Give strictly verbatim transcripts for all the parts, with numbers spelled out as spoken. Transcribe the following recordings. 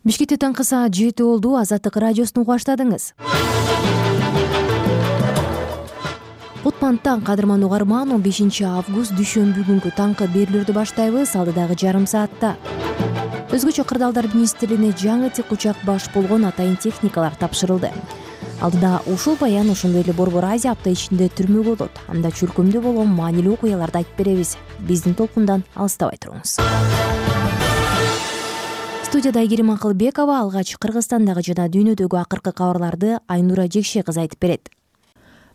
Бишкекте таңкы саат жети болду. Азаттык радиосун угуп баштадыңыз. Отманттан кадырман угарман, он бешинчи август дүйшөмбү күнгү таңкы берүүлөрдү баштайбыз. Алдыдагы жарым саатта өзгөчө кырдаалдар министрлигине жаңы тик учак баш болгон атайын техникалар тапшырылды. Алдыда ушул баян, ошондой эле Борбор Азия апта ичинде түрмөгө болот. Анда чөлкөмдө болгон маанилүү окуяларды айтып беребиз. Биздин толкундан алыстабай туруңуз. Студияда Айгерим Акылбекова алгач Кыргызстандагы жана дүйнөдөгү акыркы кабарларды Айнура Жекше кызы айтып берет.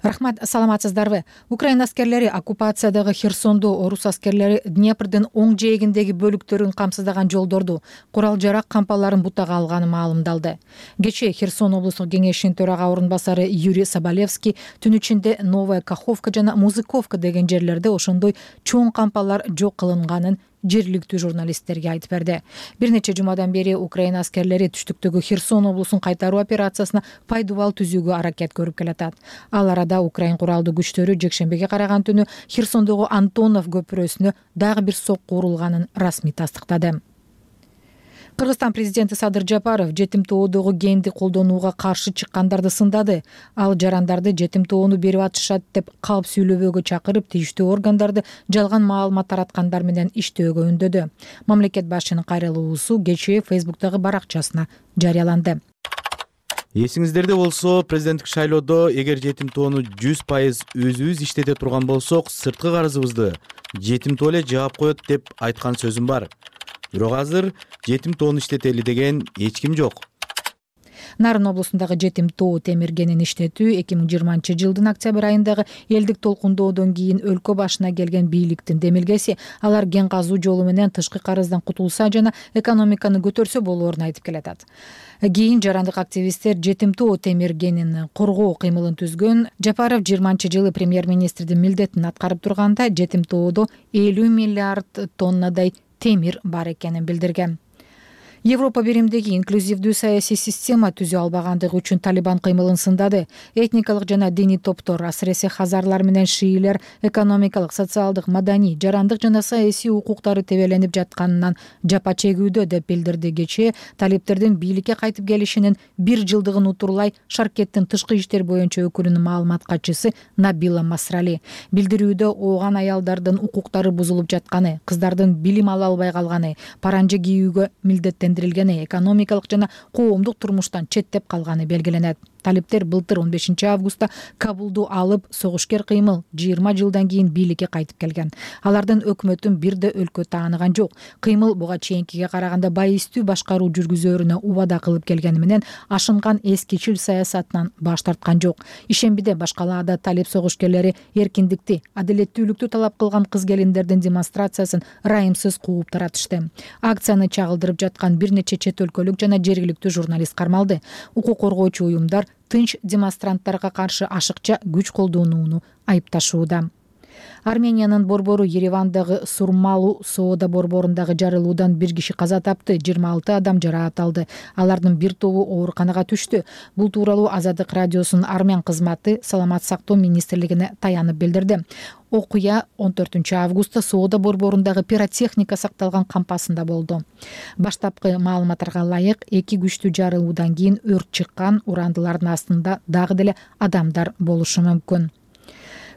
Рахмат, саламатсыздарбы? Украина аскерлери оккупациядагы Херсондо орус аскерлери Днепрдин оң жээгиндеги бөлүктөрүн камсыздаган жолдорду, курал жарак кампаларын бутага алганы маалымдалды. Кечээ Херсон облустук кеңешинин төрага орун басары Юрий Соболевский түн ичинде Новая Каховка жана Музыковка деген жерлерде ошондой чоң кампалар жок кылынганын жергиликтүү журналисттерге айтып берди. Бир нече жумадан бери Украина аскерлери түштүктөгү Херсон облусун кайтаруу операциясына пайдубал түзүүгө аракет көрүп келатат. Ал арада Украин куралдуу күчтөрү жекшембиге караган түнү Херсондогу Антонов көпүрөсүнө дагы бир сокку урулганын расмий тастыктады. Кыргызстан президенти Садыр Жапаров жетим тоодогу генди колдонууга каршы чыккандарды сындады. Ал жарандарды жетим тоону берип атышат деп калп сүйлөбөөгө чакырып, тийиштүү органдарды жалган маалымат тараткандар менен иштөөгө үндөдү. Мамлекет башчынын кайрылуусу кечээ Фейсбуктагы баракчасына жарыяланды. Эсиңиздерде болсо, президенттик шайлоодо эгер жетим тоону жүз пайыз өзүбүз иштете турган болсок, сырткы карызыбызды жетим тоо эле жаап коет деп айткан сөзүм бар. Бирок азыр жетим тоону иштетели деген эч ким жок. Нарын облусундагы жетим тоо темиргенин иштетүү эки миң жыйырманчы жылдын октябрь айындагы элдик толкундоодон кийин өлкө башына келген бийликтин демилгеси. Алар ген казуу жолу менен тышкы карыздан кутулса жана экономиканы көтөрсө болоорун айтып келатат. Кийин жарандык активисттер жетим тоо темиргенин коргоо кыймылын түзгөн. Жапаров жыйырманчы жылы премьер-министрдин милдетин аткарып турганда жетим тоодо элүү миллиард тоннадай темир бар экенин билдирген. Европа биримдеги инклюзивдүү саясий система түзө албагандыгы үчүн Талибан кыймылын сындады. Этникалык жана диний топтор, асыресе хазарлар менен шиилер экономикалык, социалдык, маданий, жарандык жана саясий укуктары тебеленип жатканынан жапа чегүүдө деп билдирди. Кечээ талиптердин бийликке кайтып келишинин бир жылдыгын утурлай Шаркеттин тышкы иштер боюнча өкүлүнүн маалымат катчысы Набила Масрали билдирүүдө ооган аялдардын укуктары бузулуп жатканы, кыздардын билим ала албай калганы, паранжа кийүүгө милдеттен экономикалык жана коомдук турмуштан четтеп калганы белгиленет. Талиптер былтыр он бешинчи августта Кабулду алып, согушкер кыймыл жыйырма жылдан кийин бийликке кайтып келген. Алардын өкмөтүн бир да өлкө тааныган жок. Кыймыл буга чейинкиге караганда байыстуу башкаруу жүргүзөөрүнө убада кылып келгени менен ашынган эскичил саясатынан баш тарткан жок. Ишембиде башкалаада талип согушкерлери эркиндикти, адилеттүүлүктү талап кылган кыз-келиндердин демонстрациясын райымсыз кууп таратышты. Акцияны чагылдырып жаткан бир нече чет өлкөлүк жана жергиликтүү журналист кармалды. Укук коргоочу уюмдар тынч демонстранттарга каршы ашыкча күч колдонууну айыпташууда. Армениянын борбору Еревандагы Сурмалу соода борборундагы жарылуудан бир киши каза тапты, жыйырма алты адам жараат алды. Алардын бир тобу ооруканага түштү. Бул тууралуу Азаттык радиосунун армян кызматы Саламат сактоо министрлигине таянып билдирди. Окуя он төртүнчү августта соода борборундагы пиротехника сакталган кампасында болду. Баштапкы маалыматтарга ылайык, эки күчтүү жарылуудан кийин өрт чыккан, урандылардын астында дагы деле адамдар болушу мүмкүн.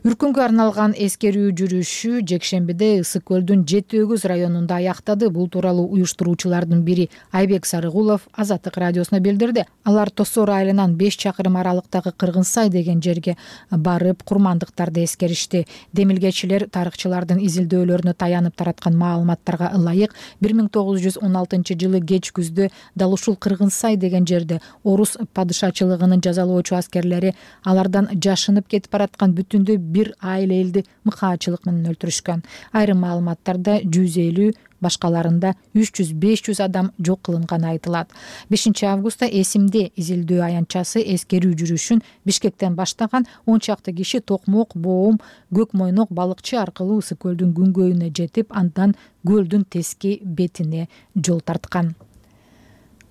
Үркүнгө арналган эскерүү жүрүшү жекшембиде Ысык көлдүн жети өгүз районунда аяктады. Бул тууралуу уюштуруучулардын бири Айбек Сарыгулов Азаттык радиосуна билдирди. Алар Тосор айылынан беш чакырым аралыктагы Кыргынсай деген жерге барып, курмандыктарды эскеришти. Демилгечилер тарыхчылардын изилдөөлөрүнө таянып тараткан маалыматтарга ылайык бир миң тогуз жүз он алтынчы жылы кеч күздө дал ушул Кыргынсай деген жерде орус падышачылыгынын жазалоочу аскерлери алардан жашынып кетип бараткан бүтүндөй бир айыл элди мыкаачылык менен өлтүрүшкөн. Айрым маалыматтарда жүз элүү, башкаларында үч жүз беш жүз адам жок кылынганы айтылат. бешинчи августта эсимде изилдөө аянтчасы эскерүү жүрүшүн Бишкектен баштаган он чакты киши Токмок, Боом, Көк Мойнок балыкчы аркылуу Ысык көлдүн күнгөйүнө жетип, андан көлдүн тески бетине жол тарткан.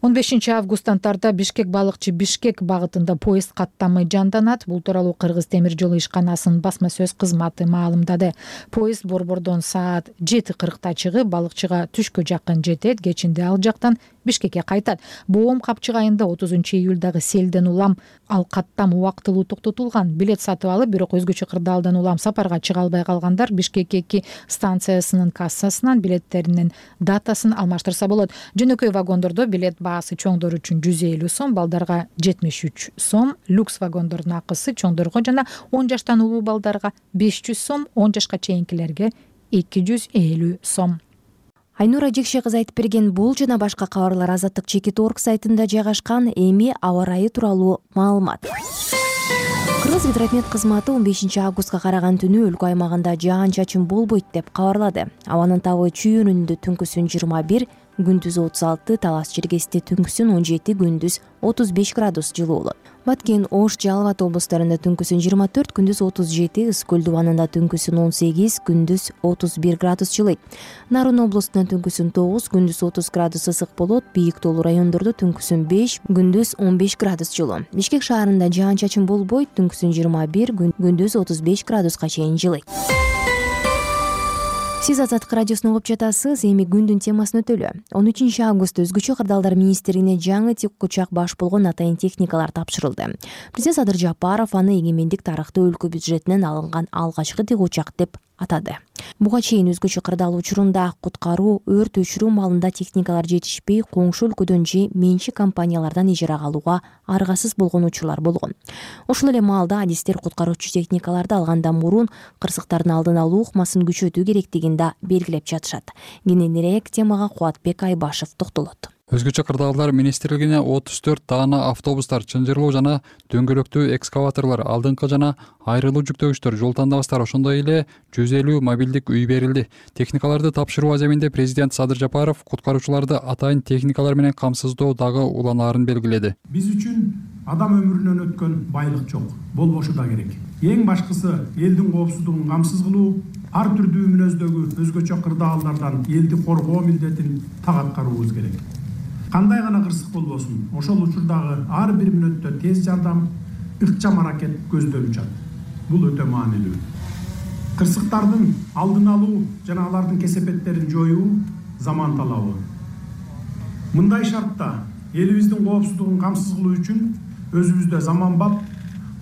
он бешинчи августтан тарта Бишкек балыкчы Бишкек багытында поезд каттамай жанданат. Бул тууралуу Кыргыз темир жолу ишканасынын басма сөз кызматы маалымдады. Поезд борбордон саат жети кыркта чыгып, балыкчыга түшкө жакын жетет. Кечинде ал жактан Бишкекке кайтат. Боом Капчык айында отузунчу июлдагы селден улам ал каттам убактылуу токтотулган. Билет сатып алып, бирок өзгөчө кырдаалдан улам сапарга чыга албай калгандар Бишкек эки станциясынын кассасынан билеттеринин датасын алмаштырса болот. Жөнөкөй вагондордо билет баасы чоңдор үчүн жүз элүү сом, балдарга жетимиш үч сом, люкс вагондордун акысы чоңдорго жана он жаштан улуу балдарга беш жүз сом, он жашка чейинкилерге эки жүз элүү сом. Айнура Жекше кызы айтып берген бул жана башка кабарлар Азаттык Чекит орг сайтында жайгашкан. Эми аба ырайы тууралуу маалымат. Кыргызгидромет кызматы он бешинчи августка караган түнү өлкө аймагында жаан-чачын болбойт деп кабарлады. Абанын табы чүй-өнүндө түнкүсүн жыйырма бир, күндүз отуз алты, Талас Черкесте түнкүсүн он жети, күндүз отуз беш градус жылуу болот. Баткен, Ош, Жалал Абад облустарында түнкүсүн жыйырма төрт, күндүз отуз жети, Ысык Көл дубанында түнкүсүн он сегиз, күндүз отуз бир градус жылыйт. Нарын облустунда түнкүсүн тогуз, күндүз отуз градус ысык болот. Бийик тоолуу райондордо түнкүсүн беш, күндүз он беш градус жылуу. Бишкек шаарында жаан-чачын болбойт, түнкүсүн жыйырма бир, күндүз отуз беш градуска чейин жылыйт. Сиз Азаттык радиосун угуп жатасыз. Эми күндүн темасын өтөлү. он үчүнчү августта өзгөчө кырдаалдар министрлигине жаңы тик учак баш болгон атайын техникалар тапшырылды. Президент Садыр Жапаров аны эгемендик тарыхта өлкө бюджетинен алынган алгачкы тик учак деп атады. Буга чейин өзгөчө кырдаал учурунда куткаруу, өрт өчүрүү маалында техникалар жетишпей, коңшу өлкөдөн же менчик компаниялардан ижарага алууга аргасыз болгон учурлар болгон. Ошол эле маалда адистер куткаруучу техникаларды алгандан мурун кырсыктардын алдын алуу ыкмасын күчөтүү керектигин да белгилеп жатышат. Кененирээк темага Кубатбек Айбашев токтолот. Өзгөчө кырдаалдар министрлигине отуз төрт даана автобустар, чынжырлуу жана дөңгөлөктүү экскаваторлор, алдыңкы жана айрылуу жүктөгүчтөр, жол тандабастар, ошондой эле жүз элүү мобилдик үй берилди. Техникаларды тапшыруу аземинде президент Садыр Жапаров куткаруучуларды атайын техникалар менен камсыздоо дагы уланаарын белгиледи. Биз үчүн адам өмүрүнөн өткөн байлык жок, болбошу да керек. Эң башкысы элдин коопсуздугун камсыз кылуу, ар түрдүү мүнөздөгү өзгөчө кырдаалдардан элди коргоо милдетин так аткаруубуз керек. Кандай гана кырсык болбосун, ошол учурдагы ар бир мүнөттө тез жардам, ыкчам аракет көздөлүп жатат. Бул өтө маанилүү. Кырсыктардын алдын алуу жана алардын кесепеттерин жоюу заман талабы. Мындай шартта элибиздин коопсуздугун камсыз кылуу үчүн өзүбүздө заманбап,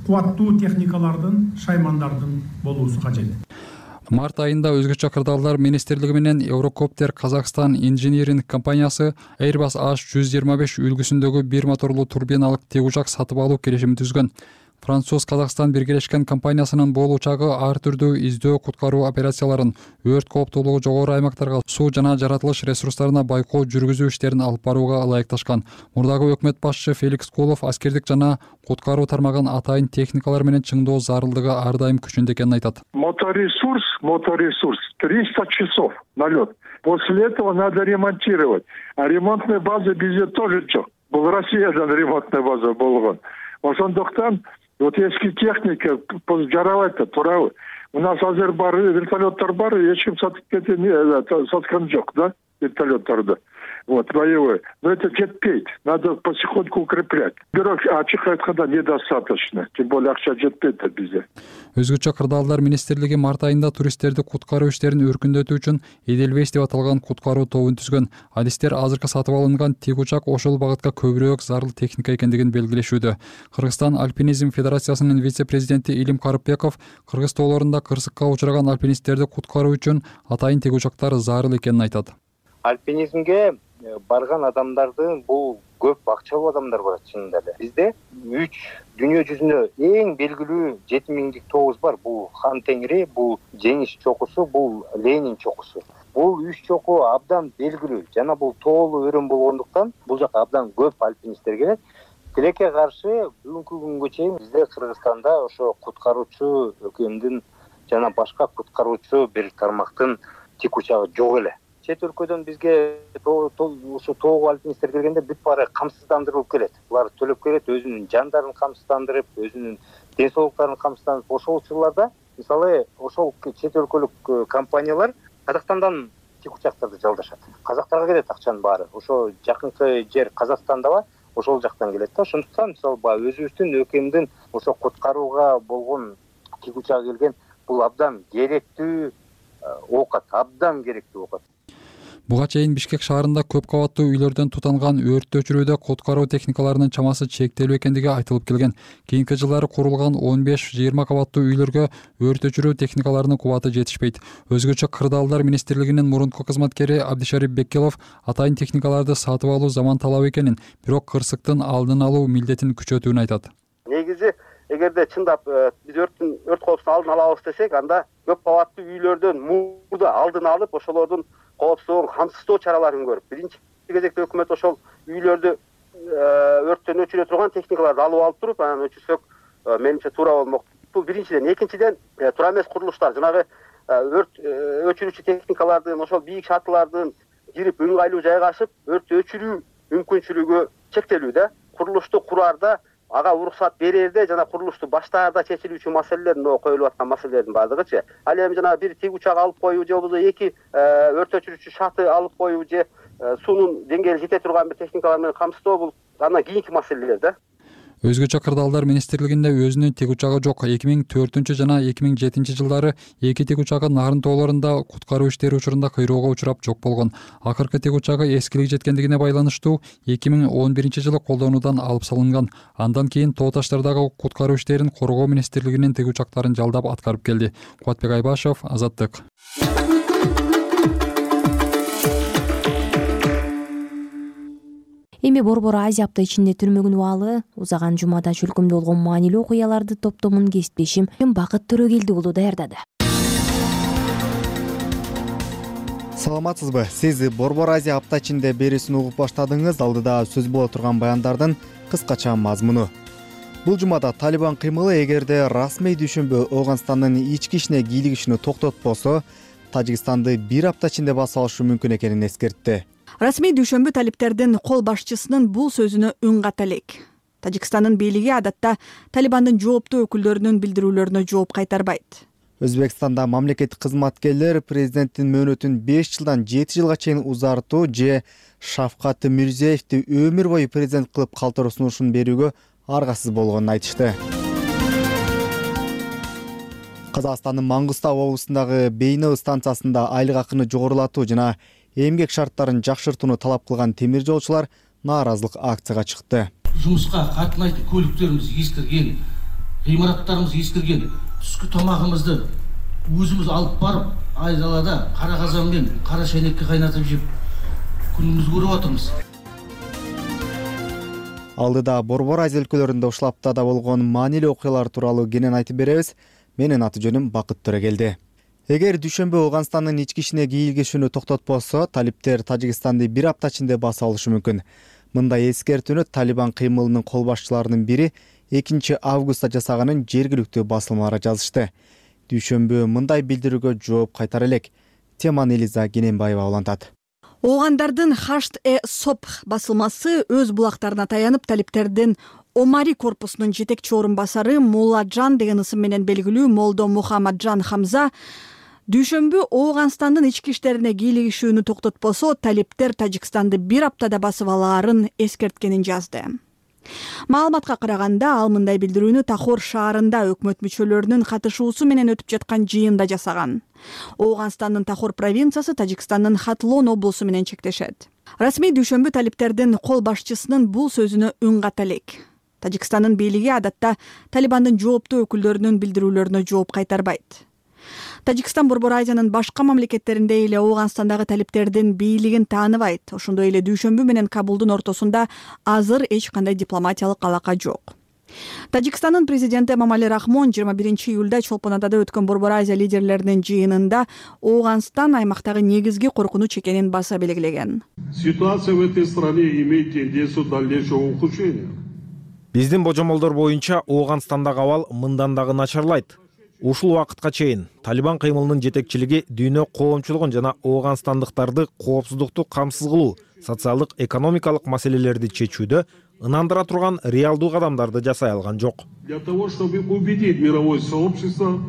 кубаттуу техникалардын, шаймандардын болуусу кажет. Март айында өзгөчө кырдаалдар министрлиги менен Eurocopter Казакстан инжиниринг компаниясы Airbus H жүз жыйырма беш үлгүсүндөгү бир моторлуу турбиналык тик учак сатып алуу келишимин түзгөн. Француз Казакстан биргелешкен компаниясынын бул учагы ар түрдүү издөө куткаруу операцияларын, өрт кооптуулугу жогору аймактарга суу жана жаратылыш ресурстарына байкоо жүргүзүү иштерин алып барууга ылайыкташкан. Мурдагы өкмөт башчы Феликс Кулов аскердик жана куткаруу тармагын атайын техникалар менен чыңдоо зарылдыгы ар дайым күчүндө экенин айтат. Моторесурс, моторесурс триста часов на лед. После этого надо ремонтировать. А ремонтной базы bizde тоже жок. Бул Россиядан ремонтная база болгон. Ошондуктан вот эски техника жарабайт да туурабы. У нас азыр бар, вертолеттор бар, эч ким сатып кеткен, саткан жок, да, вертолетторду. Вот, боевой. Но это жетпейт. Надо потихоньку укреплять. Бирок ачык айтканда недостаточно. Тем более акча жетпейт да бизде. Өзгөчө кырдаалдар министрлиги март айында туристтерди куткаруу иштерин өркүндөтүү үчүн Эдельвейс деп аталган куткаруу тобун түзгөн. Адистер азыркы сатып алынган тик учак ошол багытка көбүрөөк зарыл техника экендигин белгилешүүдө. Кыргызстан Альпинизм Федерациясынын вице-президенти Илим Карыпбеков Кыргыз тоолорунда кырсыкка учураган альпинисттерди куткаруу үчүн атайын тик учактар зарыл экенин айтат. Альпинизмге барган адамдардын бул көп акчалуу адамдар бар чынында эле. Бизде үч дүйнө жүзүндө эң белгилүү жети миңдик тообуз бар. Бул Хан Теңири, бул Жеңиш чокусу, бул Ленин чокусу. Бул үч чоку абдан белгилүү жана бул тоолуу өрөм болгондуктан бул жака абдан көп альпинисттер келет. Тилекке каршы бүгүнкү күнгө чейин бизде Кыргызстанда ошо куткаруучу өлкөмдүн жана башка куткаруучу бир тармактын тик учагы жок эле. Чет өлкөдөн бизге ошо тоого альпинисттер келгенде бүт баары камсыздандырылып келет. Булар төлөп келет, өзүнүн жандарын камсыздандырып, өзүнүн ден соолуктарын камсыздандырып. Ошол учурларда мисалы ошол чет өлкөлүк компаниялар Казакстандан тик учактарды жалдашат. Казактарга келет акчанын баары. Ошо жакынкы жер Казакстандабы, ошол жактан келет да. Ошондуктан мисалы баягы өзүбүздүн өлкөмдүн ошо куткарууга болгон тик учагы келген бул абдан керектүү оокат, абдан керектүү оокат. Буга чейин Бишкек шаарында көп кабаттуу үйлөрдөн тутанган өрттү өчүрүүдө куткаруу техникаларынын чамасы чектелүү экендиги айтылып келген. Кийинки жылдары курулган он беш жыйырма кабаттуу үйлөргө өрт өчүрүү техникаларынын кубаты жетишпейт. Өзгөчө Кырдаалдар министрлигинин мурунку кызматкери Абдишарип Беккелов атайын техникаларды сатып алуу заман талабы экенин, бирок кырсыктын алдын алуу милдетин күчөтүүнү айтат. Негизи эгерде чындап биз өрттүн өрт коопсуздугун алдын алабыз десек, анда көп кабаттуу үйлөрдөн мурда алдын алып, ошолордун коопсуздугун камсыздоо чараларын көрүп, биринчи кезекте өкмөт ошол үйлөрдү өрттөн өчүрө турган техникаларды алып алып туруп, анан өчүрсөк, менимче туура болмок. Бул биринчиден. Экинчиден, туура эмес курулуштар, жанагы өрт өчүрүүчү техникалардын, ошол бийик шатылардын кирип ыңгайлуу жайгашып, өрттү өчүрүү мүмкүнчүлүгү чектелүү да. Курулушту кураарда, ага уруксат берерде жана курулушту баштаарда чечилүүчү маселелер, мына коюлуп аткан маселелердин баардыгычы. Ал эми жана бир тиг учак алып коюу же болбосо эки өрт өчүрүүчү шаты алып коюу же суунун деңгээли жете турган бир техникалар менен камсыздоо, бул андан кийинки маселелер да. Өзгөчө Кырдаалдар министрлигинде өзүнүн тиг учагы жок. эки миң төртүнчү жана эки миң жетинчи жылдары эки тиг учагы Нарын тоолорунда куткаруу иштери учурунда кыйроого учурап жок болгон. Акыркы тиг учагы эскилиги жеткендигине байланыштуу эки миң он биринчи жылы колдонуудан алып салынган. Андан кийин тоо таштардагы куткаруу иштерин коргоо министрлигинин тиг учактарын жалдап аткарып келди. Кубатбек Айбашев, Азаттык. Эми Борбор Азия апта ичинде түрмөгүн убалы узаган жумада чөлкөмдө болгон маанилүү окуяларды топтомун кесиптешим Бакыт Төрөгелди уулу даярдады. Саламатсызбы? Сиз Борбор Азия апта ичинде берүүсүн угуп баштадыңыз. Алдыда сөз боло турган баяндардын кыскача мазмуну. Бул жумада Талибан кыймылы эгерде расмий дүйшөмбү Ооганстандын ички ишине кийлигишини токтотпосо, Тажикстанды бир апта ичинде басып алышы мүмкүн экенин эскертти. Расмий дүйшөмбү талиптердин кол башчысынын бул сөзүнө үн ката элек. Тажикстандын бийлиги адатта Талибандын жооптуу өкүлдөрүнүн билдирүүлөрүнө жооп кайтарбайт. Өзбекстанда мамлекеттик кызматкерлер президенттин мөөнөтүн беш жылдан жети жылга чейин узартуу же Шавкат Мирзиевди өмүр бою президент кылып калтыруу сунушун берүүгө аргасыз болгонун айтышты. Казакстандын Маңгыстау облусундагы Бейнеу станциясында айлык акыны жогорулатуу жана эмгек шарттарын жакшыртууну талап кылган темир жолчулар нааразылык акцияга чыкты. Жумушка катнайтын көлүктөрүбүз эскирген, гыймараттарыбыз эскирген, түшкү тамагыбызды өзүбүз алып барып, айдалада кара казан менен кара шайнекке кайнатып жеп күнүбүздү көрүп атабыз. Алдыда Борбор Азия өлкөлөрүндө ушул аптада болгон маанилүү окуялар тууралуу кенен айтып беребиз. Менин аты жөнүм Бакыт Төрөгелди. Эгер дүйшөмбү Ооганстандын ички ишине кийлигишүүнү токтотпосо, талиптер Тажикстанды бир апта ичинде басып алышы мүмкүн. Мындай эскертүүнү Талибан кыймылынын кол башчыларынын бири экинчи августта жасаганын жергиликтүү басылмалары жазышты. Дүйшөмбү мындай билдирүүгө жооп кайтара элек. Теманы Элиза Кененбаева улантат. Оогандардын Хашт-э-Сопх басылмасы өз булактарына таянып талиптердин Омари корпусунун жетекчи орун басары Мулладжан деген ысым менен белгилүү Молдо Мухаммаджан Хамза дүйшөмбү Ооганстандын ички иштерине кийлигишүүнү токтотпосо, талиптер Тажикстанды бир аптада басып алаарын эскерткенин жазды. Маалыматка караганда, ал мындай билдирүүнү Тахор шаарында өкмөт мүчөлөрүнүн катышуусу менен өтүп жаткан жыйында жасаган. Ооганстандын Тахор провинциясы Тажикстандын Хатлон облусу менен чектешет. Расмий дүйшөмбү талиптердин кол башчысынын бул сөзүнө үн ката элек. Тажикстандын бийлиги адатта Талибандын жооптуу өкүлдөрүнүн билдирүүлөрүнө жооп кайтарбайт. Тажикстан Борбор Азиянын башка мамлекеттеринде эле Ооганстандагы талиптердин бийлигин тааныбайт. Ошондой эле дүйшөмбү менен Кабулдун ортосунда азыр эч кандай дипломатиялык алака жок. Тажикстандын президенти Эмомали Рахмон жыйырма биринчи июлда Чолпонадада өткөн Борбор Азия лидерлеринин жыйынында Ооганстан аймактагы негизги коркунуч экенин баса белгилеген. Ситуация в этой стране имеет тенденцию дальнейшего ухудшения. Биздин божомолдор боюнча Ооганстандагы абал мындан дагы начарлайт. Ушул убакытка чейин Талибан кыймылынын жетекчилиги дүйнө коомчулугун жана ооганстандыктарды коопсуздукту камсыз кылуу, социалдык экономикалык маселелерди чечүүдө ынандыра турган реалдуу кадамдарды жасай алган жок. Для того, чтобы убедить мировое сообщество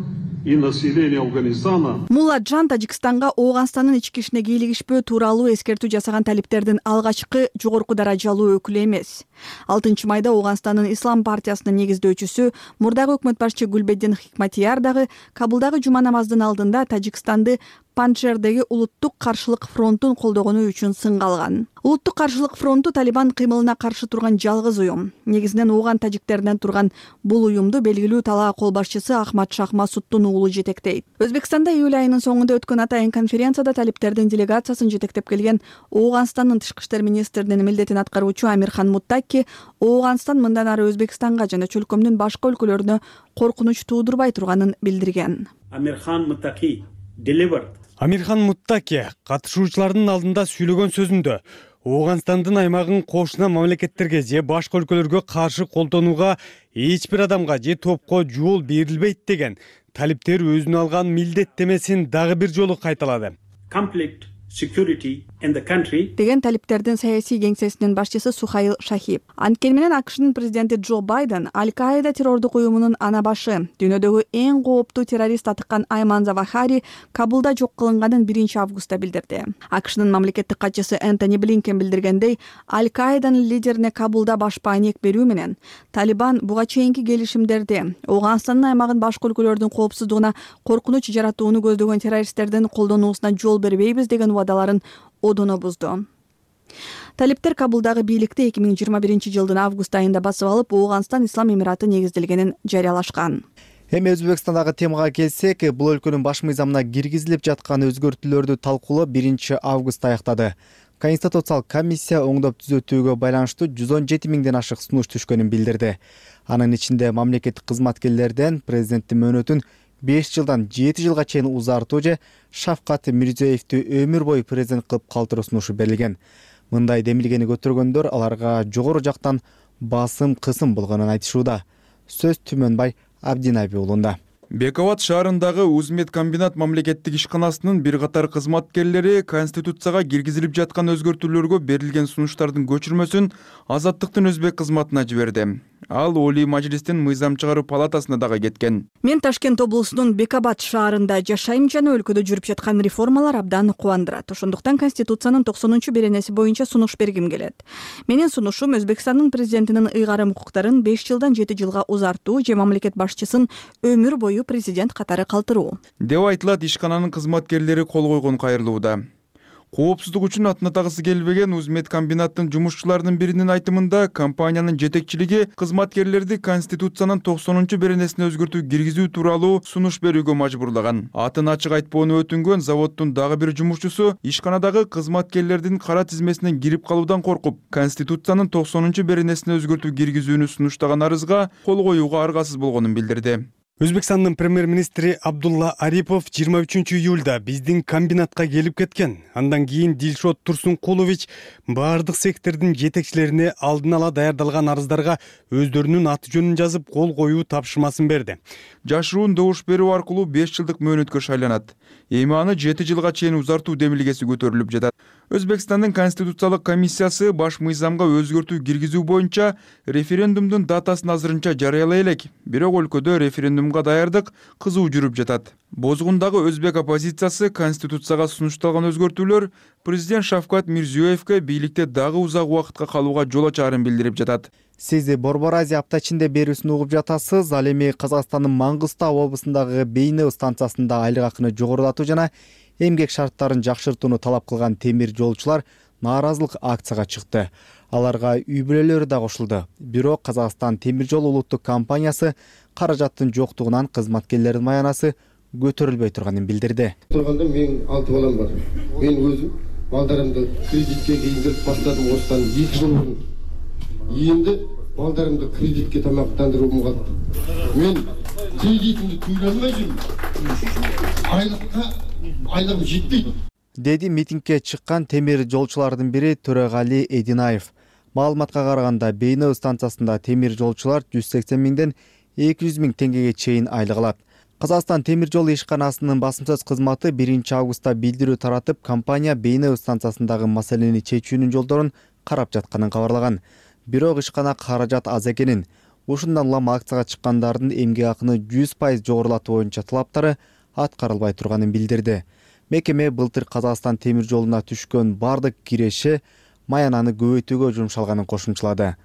и население Афганистана. Мулладжан Тажикстанга Ооганстандын ички ишине кийлигишпөө тууралуу эскертүү жасаган талиптердин алгачкы жогорку даражалуу өкүлү эмес. алтынчы майда Ооганстандын Ислам партиясынын негиздөөчүсү, мурдагы өкмөт башчы Гулбеддин Хикматияр дагы Кабулдагы жума намазынын алдында Тажикстанды Панжшердеги улуттук каршылык фронтун колдогону үчүн сынга алган. Улуттук каршылык фронту Талибан кыймылына каршы турган жалгыз уюм. Негизинен ооган тажиктеринен турган бул уюмду белгилүү талаа кол башчысы Ахмад Шах Масуддун уулу жетектейт. Өзбекстанда июль айынын соңунда өткөн атайын конференцияда талиптердин делегациясын жетектеп келген Ооганстандын тышкы иштер министринин милдетин аткаруучу Амирхан Муттаки Ооганстан мындан ары Өзбекстанга жана чөлкөмдүн башка өлкөлөрүнө коркунуч туудурбай турганын билдирген. Амирхан Муттаки delivered. Амирхан Муттаки катышуучулардын алдында сүйлөгөн сөзүндө Ооганстандын аймагын кошуна мамлекеттерге же башка өлкөлөргө каршы колдонууга эч бир адамга же топко жол берилбейт деген талиптер өзүнө алган милдеттемесин дагы бир жолу кайталады. Conflict, security in the country деген талиптердин саясий кеңсесинин башчысы Сухаил Шахиб. Анткени менен АКШнын президенти Джо Байден Аль-Каида террордук уюмунун ана башы, дүйнөдөгү эң кооптуу террорист атыккан Айман Завахари Кабулда жок кылынганын биринчи августта билдирди. АКШнын мамлекеттик катчысы Энтони Блинкен билдиргендей, Аль-Каиданын лидерине Кабулда баш паек берүү менен Талибан буга чейинки келишимдерди Ооганстандын аймагын башка өлкөлөрдүн коопсуздугуна коркунуч жаратууну көздөгөн террористтердин колдонуусуна жол бербейбиз деген убадаларын одоно бузду. Талиптер Кабулдагы бийликти эки миң жыйырма биринчи жылдын август айында басып алып, Ооганстан Ислам Эмираты негизделгенин жарыялашкан. Эми Өзбекстандагы темага келсек, бул өлкөнүн баш мыйзамына киргизилип жаткан өзгөртүүлөрдү талкуулоо биринчи августта аяктады. Конституциялык комиссия оңдоп түзөтүүгө байланыштуу жүз он жети миңден ашык сунуш түшкөнүн билдирди. Анын ичинде мамлекеттик кызматкерлерден президенттин мөөнөтүн беш жылдан жети жылга чейин узартуу же Шавкат Мирзиёевди өмүр бою президент кылып калтыруу сунушу берилген. Мындай демилгени көтөргөндөр аларга жогору жактан басым кысым болгонун айтышууда. Сөз Түмөнбай Абдинаби уулунда. Бековат шаарындагы Узмед комбинат мамлекеттик ишканасынын бир катар кызматкерлери Конституцияга киргизилип жаткан өзгөртүүлөргө берилген сунуштардын көчүрмөсүн Азаттыктын өзбек кызматына жиберди. Ал Олий Мажлистин мыйзам чыгаруу палатасына дагы кеткен. Мен Ташкент облусунун Бекабат шаарында жашайм жана өлкөдө жүрүп жаткан реформалар абдан кубандырат. Ошондуктан Конституциянын токсонунчу беренеси боюнча сунуш бергим келет. Менин сунушум Өзбекстандын президентинин ыйгарым укуктарын беш жылдан жети жылга узартуу же мамлекет башчысын өмүр бою президент катары калтыруу деп айтылат. Ишкананын кызматкерлери кол койгон кайрылууда. Коопсуздук үчүн атын атагысы келбеген Узмед комбинаттын жумушчуларынын биринин айтымында компаниянын жетекчилиги кызматкерлерди Конституциянын токсонунчу беренесине өзгөртүү киргизүү тууралуу сунуш берүүгө мажбурлаган. Атын ачык айтпоону өтүнгөн заводдун дагы бир жумушчусу ишканадагы кызматкерлердин кара тизмесине кирип калуудан коркуп, Конституциянын токсонунчу беренесине өзгөртүү киргизүүнү сунуштаган арызга кол коюуга аргасыз болгонун билдирди. Өзбекстандын премьер-министри Абдулла Арипов жыйырма үчүнчү июлда биздин комбинатка келип кеткен. Андан кийин Дилшот Турсункулович баардык сектордун жетекчилерине алдын ала даярдалган арыздарга өздөрүнүн аты жөнүн жазып кол коюу тапшырмасын берди. Жашыруун добуш берүү аркылуу беш жылдык мөөнөткө шайланат. Эми аны жети жылга чейин узартуу демилгеси көтөрүлүп жатат. Өзбекстандын Конституциялык комиссиясы баш мыйзамга өзгөртүү киргизүү боюнча референдумдун датасын азырынча жарыялай элек. Бирок өлкөдө референдумга даярдык кызуу жүрүп жатат. Бозгундагы өзбек оппозициясы Конституцияга сунушталган өзгөртүүлөр президент Шавкат Мирзиёевге бийликте дагы узак убакытка калууга жол ачаарын билдирип жатат. Сиз Борбор Азия апта ичинде берүүсүн угуп жатасыз. Ал эми Казакстандын Маңгыстау облусундагы Бейнеу станциясында айлык акыны жогорулатуу жана эмгек шарттарын жакшыртууну талап кылган темир жолчулар нааразылык акцияга чыкты. Аларга үй бүлөлөрү да кошулду. Бирок Казакстан темир жол улуттук компаниясы каражаттын жоктугунан кызматкерлердин маянасы көтөрүлбөй турганын билдирди. Турганда менин алты балам бар. Мен өзүм балдарымды кредитке кийиндирип баштадым осудан эки жыл мурун. Енді балдарымды кредитке тамақтандыруым қалды. Мен кредитімді төлей алмай жүрмін. Айлыққа айлығым жетпейді. Деди митингге чыккан темир жолчулардын бири Төрөгали Эдинаев. Маалыматка караганда Бейнеу станциясында темир жолчулар жүз сексен миңден эки жүз миң теңгеге чейин айлык алат. Казакстан темир жол ишканасынын басымсыз кызматы биринчи августта билдирүү таратып, компания Бейнеу станциясындагы маселени чечүүнүн жолдорун карап жатканын кабарлаган. Бирок ишкана каражат аз экенин, ушундан улам акцияга чыккандардын эмгек акыны жүз пайыз жогорулатуу боюнча талаптары аткарылбай турганын билдирди. Мекеме былтыр Казакстан темир жолуна түшкөн бардык киреши маянаны көбөйтүүгө жумшалганын кошумчалады.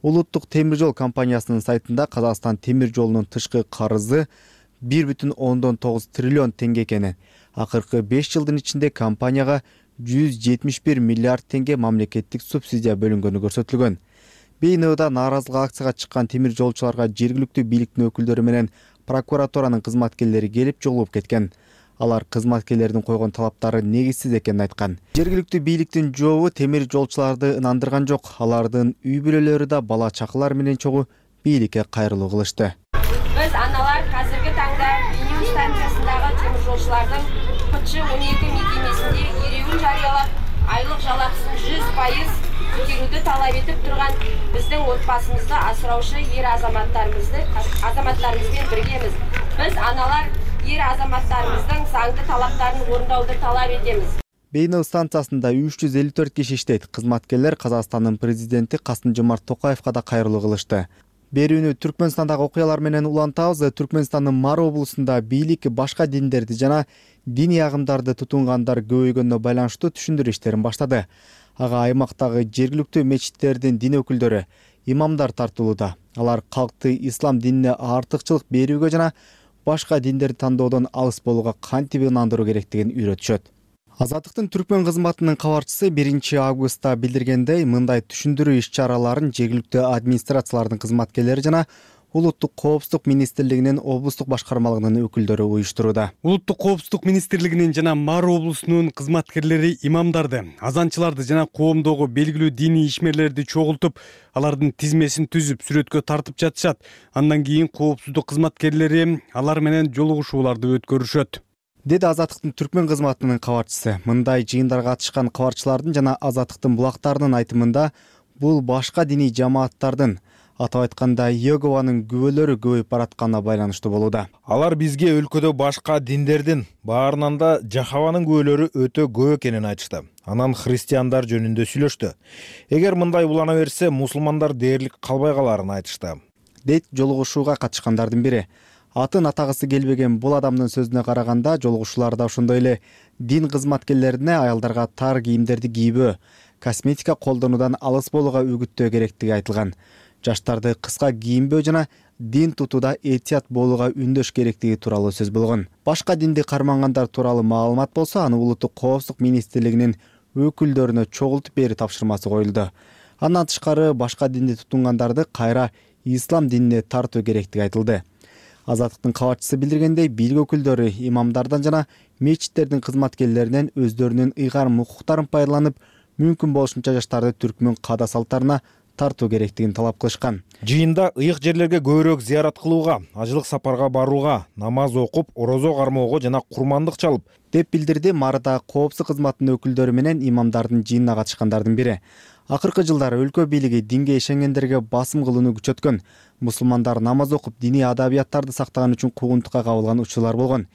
Улуттук темир жол компаниясынын сайтында Казакстан темир жолунун тышкы карызы бир бүтүн ондон тогуз триллион теңге экени, акыркы беш жылдын ичинде компанияга жүз жетимиш бир миллиард теңге мамлекеттик субсидия бөлүнгөнү көрсөтүлгөн. БНОда нааразылык акцияга чыккан темир жолчуларга жергиликтүү бийликтин өкүлдөрү менен прокуратуранын кызматкерлери келип жолугуп кеткен. Алар кызматкерлердин койгон талаптары негизсиз экенин айткан. Жергиликтүү бийликтин жообу темир жолчуларды ынандырган жок. Алардын үй бүлөлөрү да бала чакалар менен чогуу бийликке кайрылуу кылышты. Биз аналар азыркы таңда Бийнеу станциясындагы темир жолчулардын К Ч он эки мекемесинде иреүүн жарыялап, айлык жалакысын жүз пайыз көтөрүүнү талап этип турган биздин отбасыбызды асыраучу эр азаматтарыбызды азаматтарыбыз менен биргебиз. Биз аналар эр азаматтарыбыздын заңдуу талаптарын орундоону талап этебиз. Бейнеу станциясында үч жүз элүү төрт киши иштейт. Кызматкерлер Казакстандын президенти Касым-Жомарт Токаевга да кайрылуу кылышты. Берүүнү Түркмөнстандагы окуялар менен улантабыз. Түркмөнстандын Мар облусунда бийлик башка диндерди жана диний агымдарды тутунгандар көбөйгөнүнө байланыштуу түшүндүрүү иштерин баштады. Ага аймактагы жергиликтүү мечиттердин дин өкүлдөрү, имамдар тартылууда. Алар калкты ислам динине артыкчылык берүүгө жана башка диндерди тандоодон алыс болууга кантип ынандыруу керектигин үйрөтүшөт. Азаттыктын түркмөн кызматынын кабарчысы биринчи августта билдиргендей, мындай түшүндүрүү иш-чараларын жергиликтүү администрациялардын кызматкерлери жана Улуттук коопсуздук министрлигинин облустук башкармалыгынын өкүлдөрү уюштурууда. Улуттук коопсуздук министрлигинин жана Мар облусунун кызматкерлери имамдарды, азанчыларды жана коомдогу белгилүү диний ишмерлерди чогултуп, алардын тизмесин түзүп, сүрөткө тартып жатышат. Андан кийин коопсуздук кызматкерлери алар менен жолугушууларды өткөрүшөт, деди Азаттыктын түркмөн кызматынын кабарчысы. Мындай жыйындарга катышкан кабарчылардын жана Азаттыктын булактарынын айтымында, бул башка диний жамааттардын, атап айтканда Йегованын күбөлөрү көбөйүп баратканына байланыштуу болууда. Алар бизге өлкөдө башка диндердин, баарынан да Жахаванын күбөлөрү өтө көп экенин айтышты. Анан христиандар жөнүндө сүйлөштү. Эгер мындай улана берсе, мусулмандар дээрлик калбай каларын айтышты, дейт жолугушууга катышкандардын бири. Атын атагысы келбеген бул адамдын сөзүнө караганда, жолугушууларда ошондой эле дин кызматкерлерине аялдарга тар кийимдерди кийбөө, косметика колдонуудан алыс болууга үгүттөө керектиги айтылган. Жаштарды кыска кийинбөө жана дин тутууда этият болууга үндөш керектиги тууралуу сөз болгон. Башка динди кармангандар тууралуу маалымат болсо, аны Улуттук коопсуздук министрлигинин өкүлдөрүнө чогултуп берүү тапшырмасы коюлду. Андан тышкары башка динди тутунгандарды кайра ислам динине тартуу керектиги айтылды. Азаттыктын кабарчысы билдиргендей, бийлик өкүлдөрү имамдардан жана мечиттердин кызматкерлеринен өздөрүнүн ыйгарым укуктарын пайдаланып, мүмкүн болушунча жаштарды түркмөн каада салттарына тартуу керектигин талап кылышкан. Жыйында ыйык жерлерге көбүрөөк зыярат кылууга, ажылык сапарга барууга, намаз окуп, орозо кармоого жана курмандык чалып, деп билдирди Марда коопсуздук кызматынын өкүлдөрү менен имамдардын жыйынына катышкандардын бири. Акыркы жылдары өлкө бийлиги динге ишенгендерге басым кылууну күчөткөн. Мусулмандар намаз окуп, диний адабияттарды сактаган үчүн куугунтукка кабылган учурлар болгон.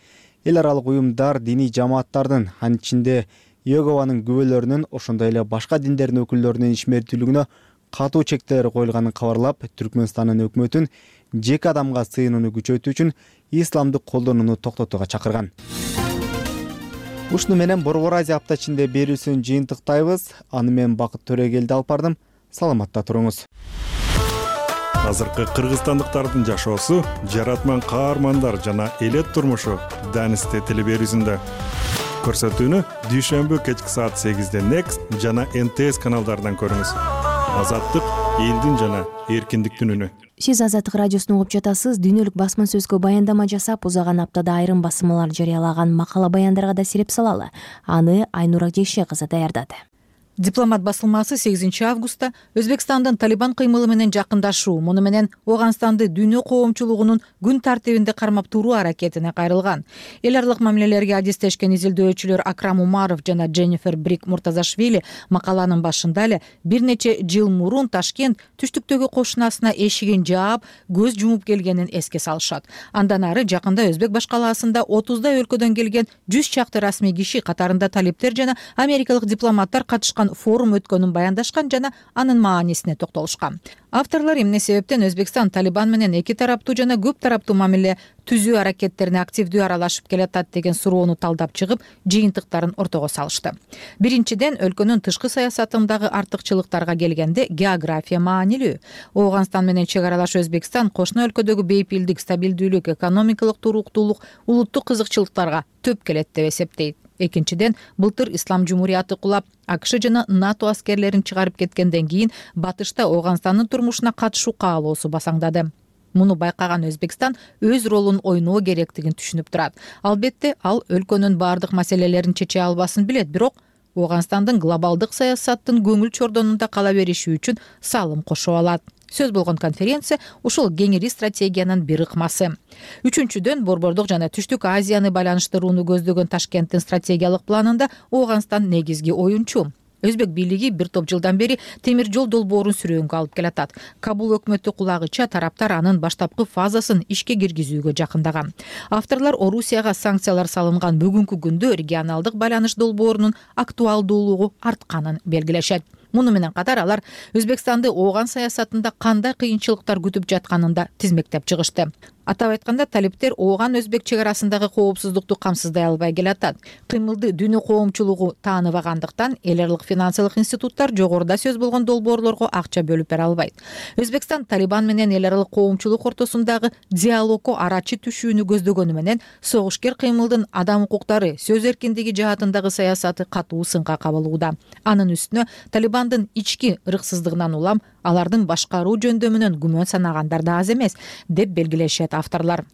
Эл аралык уюмдар диний жамааттардын, анын ичинде Йегованын күбөлөрүнүн, ошондой эле башка диндердин өкүлдөрүнүн ишмердүүлүгүнө катуу чектелер коюлганын кабарлап, Түркмөнстандын өкмөтүн жеке адамга сыйынууну күчөтүү үчүн исламды колдонууну токтотууга чакырган. Ушуну менен Борбор Азия апта ичинде берүүсүн жыйынтыктайбыз. Аны мен Бакыт Төрөгелди алып бардым. Саламатта туруңуз. Азыркы кыргызстандыктардын жашоосу, жаратман каармандар жана элет турмушу Данисте телеберүүсүндө. Көрсөтүүнү дүйшөмбү кечки саат сегизде Next жана Н Т С каналдарынан көрүңүз. Азаттык элдин жана эркиндиктин үнү. Сиз Азаттык радиосун угуп жатасыз. Дүйнөлүк басма сөзгө баяндама жасап, узаган аптада айрым басмалар жарыялаган макала баяндарга да сирип салалы. Аны Айнура Жекше кызы даярдады. Дипломат басылмасы сегизинчи августта Өзбекстандын Талибан кыймылы менен жакындашуу, муну менен Ооганстанды дүйнө коомчулугунун күн тартибинде кармап туруу аракетине кайрылган. Эл аралык мамилелерге адистешкен изилдөөчүлөр Акрам Умаров жана Дженнифер Брик Муртазашвили макаланын башында эле бир нече жыл мурун Ташкент түштүктөгү кошунасына эшигин жаап, көз жумуп келгенин эске салышат. Андан ары жакында Өзбек башкалаасында отуздай өлкөдөн келген жүз чакты расмий киши, катарында талиптер жана америкалык дипломаттар катышкан Өзбекстан форум өткөнүн баяндашкан жана анын маанисине токтолушкан. Авторлор эмне себептен Өзбекстан Талибан менен эки тараптуу жана көп тараптуу мамиле түзүү аракеттерине активдүү аралашып келатат деген суроону талдап чыгып, жыйынтыктарын ортого салышты. Биринчиден, өлкөнүн тышкы саясатындагы артыкчылыктарга келгенде география маанилүү. Ооганстан менен чек аралаш Өзбекстан кошуна өлкөдөгү бейпилдик, стабилдүүлүк, экономикалык туруктуулук, улуттук кызыкчылыктарга төп келет деп эсептейт. Экинчиден, былтыр Ислам Жумурияты кулап, АКШ жана НАТО аскерлерин чыгарып кеткенден кийин батышта Ооганстандын турмушуна катышуу каалоосу басаңдады. Муну байкаган Өзбекстан өз ролун ойноо керектигин түшүнүп турат. Албетте, ал өлкөнүн бардык маселелерин чече албасын билет, бирок Ооганстандын глобалдык саясаттын көңүл чордонунда кала бериши үчүн салым кошо алат. Сөз болгон конференция ушул кеңири стратегиянын бир ыкмасы. Үчүнчүдөн, Борбордук жана Түштүк Азияны байланыштырууну көздөгөн Ташкенттин стратегиялык планында Ооганстан негизги оюнчу. Өзбек бийлиги бир топ жылдан бери темир жол долбоорун сүрөөнгө алып келатат. Кабул өкмөтү кулагыча тараптар анын баштапкы фазасын ишке киргизүүгө жакындаган. Авторлор Орусияга санкциялар салынган бүгүнкү күндө регионалдык байланыш долбоорунун актуалдуулугу артканын белгилешет. Муну менен катар алар Өзбекстанды Ооган саясатында кандай кыйынчылыктар күтүп жатканын да тизмектеп чыгышты. Атап айтканда, талиптер Ооган Өзбек чек арасындагы коопсуздукту камсыздай албай келатат. Кыймылды дүйнө коомчулугу тааныбагандыктан эл аралык финансылык институттар жогоруда сөз болгон долбоорлорго акча бөлүп бере албайт. Өзбекстан Талибан менен эл аралык коомчулук ортосундагы диалогко арачы түшүүнү көздөгөнү менен согушкер кыймылдын адам укуктары, сөз эркиндиги жаатындагы саясаты катуу сынга кабылууда. Анын үстүнө Талибандын ички ырксыздыгынан улам алардын башкаруу жөндөмүнөн күмөн санагандар да аз эмес, деп белгилешет авторлор.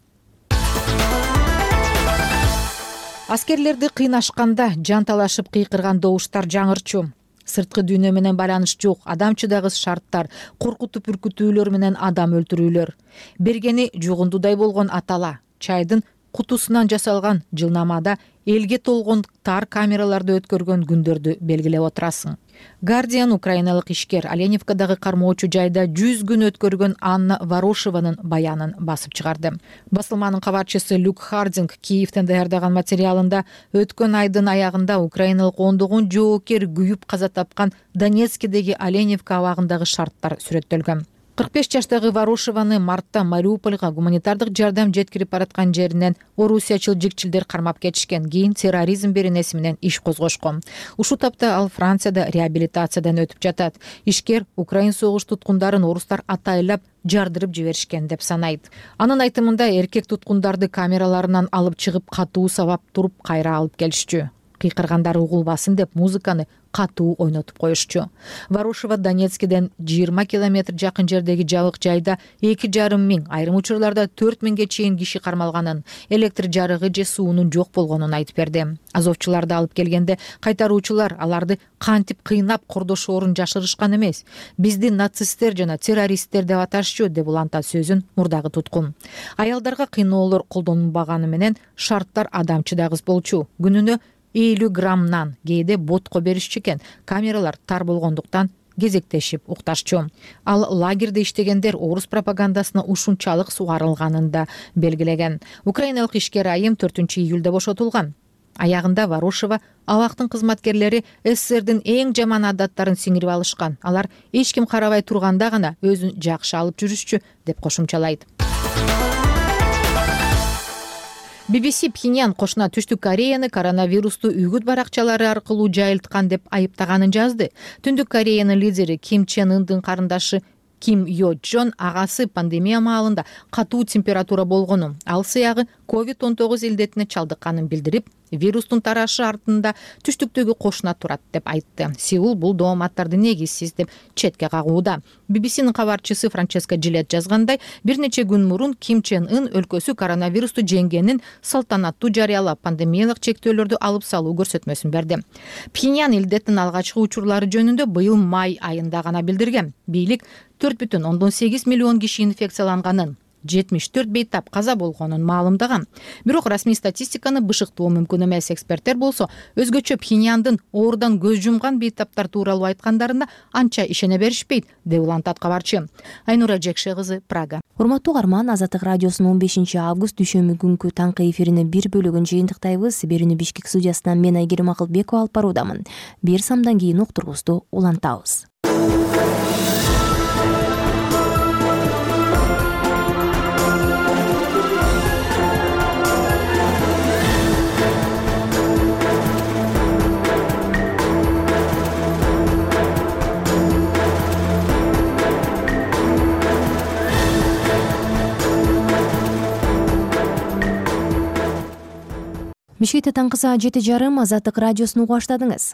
Аскерлерди кыйнашканда жанталашып кыйкырган добуштар жаңырчу. Сырткы дүйнө менен байланыш жок, адамчыдагы шарттар, коркутуп үркүтүүлөр менен адам өлтүрүүлөр. Бергени жугундудай болгон атала, чайдын кутусунан жасалган жылнамада элге толгон тар камераларды өткөргөн күндөрдү белгилеп отурасың. Guardian украиналык ишкер Оленивкадагы кармоочу жайда жүз күн өткөргөн Анна Ворошеванын баянын басып чыгарды. Басылманын кабарчысы Люк Хардинг Киевден даярдаган материалында өткөн айдын аягында украиналык ондогон жоокер күйүп каза тапкан Донецкидеги Оленивка абагындагы шарттар сүрөттөлгөн. кырк беш жаштагы Ворошеваны мартта Мариупольга гуманитардык жардам жеткирип бараткан жеринен орусиячыл жикчилдер кармап кетишкен. Кийин терроризм беренеси менен иш козгошкон. Ушул тапта ал Францияда реабилитациядан өтүп жатат. Ишкер Украин согуш туткундарын орустар атайлап жардырып жиберишкен деп санайт. Анын айтымында эркек туткундарды камераларынан алып чыгып катуу сабап туруп кайра алып келишчү. Кыйкыргандар угулбасын деп музыканы катуу ойнотуп коюшчу. Ворошева Донецкиден жыйырма километр жакын жердеги жабык жайда эки жарым миң, айрым учурларда төрт миңге чейин киши кармалганын, электр жарыгы же суунун жок болгонун айтып берди. Азовчуларды алып келгенде кайтаруучулар аларды кантип кыйнап кордошоорун жашырышкан эмес. Бизди нацисттер жана террористтер деп аташчу, деп улантат сөзүн мурдагы туткун. Аялдарга кыйноолор колдонулбаганы менен шарттар адамчыдагыс болчу. Күнүнө элүү граммнан кээде ботко беришчү экен. Камералар тар болгондуктан кезектешип укташчу. Ал лагерде иштегендер орус пропагандасына ушунчалык сугарылганын да белгилеген. Украиналык ишкер айым төртүнчү июлда бошотулган. Аягында Ворошева абактын кызматкерлери СССРдин эң жаман адаттарын сиңирип алышкан. Алар эч ким карабай турганда гана өзүн жакшы алып жүрүшчү, деп кошумчалайт. би би си Пхеньян кошуна Түштүк Кореяны коронавирусту үгүт баракчалары аркылуу жайылткан деп айыптаганын жазды. Түндүк Кореянын лидери Ким Чен Ындын карындашы Ким Йо Джон агасы пандемия маалында катуу температура болгонун, ал сыягы ковид он тогуз илдетине чалдыкканын билдирип, вирустун тарашы артында түштүктөгү кошуна турат деп айтты. Сеул бул дооматтарды негизсиз деп четке кагууда. би би синин кабарчысы Франческа Джилет жазгандай, бир нече күн мурун Ким Чен Ын өлкөсү коронавирусту жеңгенин салтанаттуу жарыялап, пандемиялык чектөөлөрдү алып салуу көрсөтмөсүн берди. Пхеньян илдеттин алгачкы учурлары жөнүндө быйыл май айында гана билдирген. Бийлик төрт бүтүн ондон сегиз миллион киши инфекцияланганын, жетимиш төрт бейтап каза болгонун маалымдаган. Бирок расмий статистиканы бышыктоо мүмкүн эмес. Эксперттер болсо өзгөчө Пхеньяндын оорудан көз жумган бейтаптар тууралуу айткандарына анча ишене беришпейт, деп улантат кабарчы. Айнура Жекше кызы, Прага. Урматтуу угарман, Азаттык радиосунун он бешинчи август дүйшөмбү күнкү таңкы эфиринин бир бөлүгүн жыйынтыктайбыз. Берүүнү Бишкек студиясынан мен Айгерим Акылбекова алып баруудамын. Бир самдан кийин уктурубузду улантабыз. Бишкекте таңкы саат жети жарым Азаттык радиосун угуп баштадыңыз.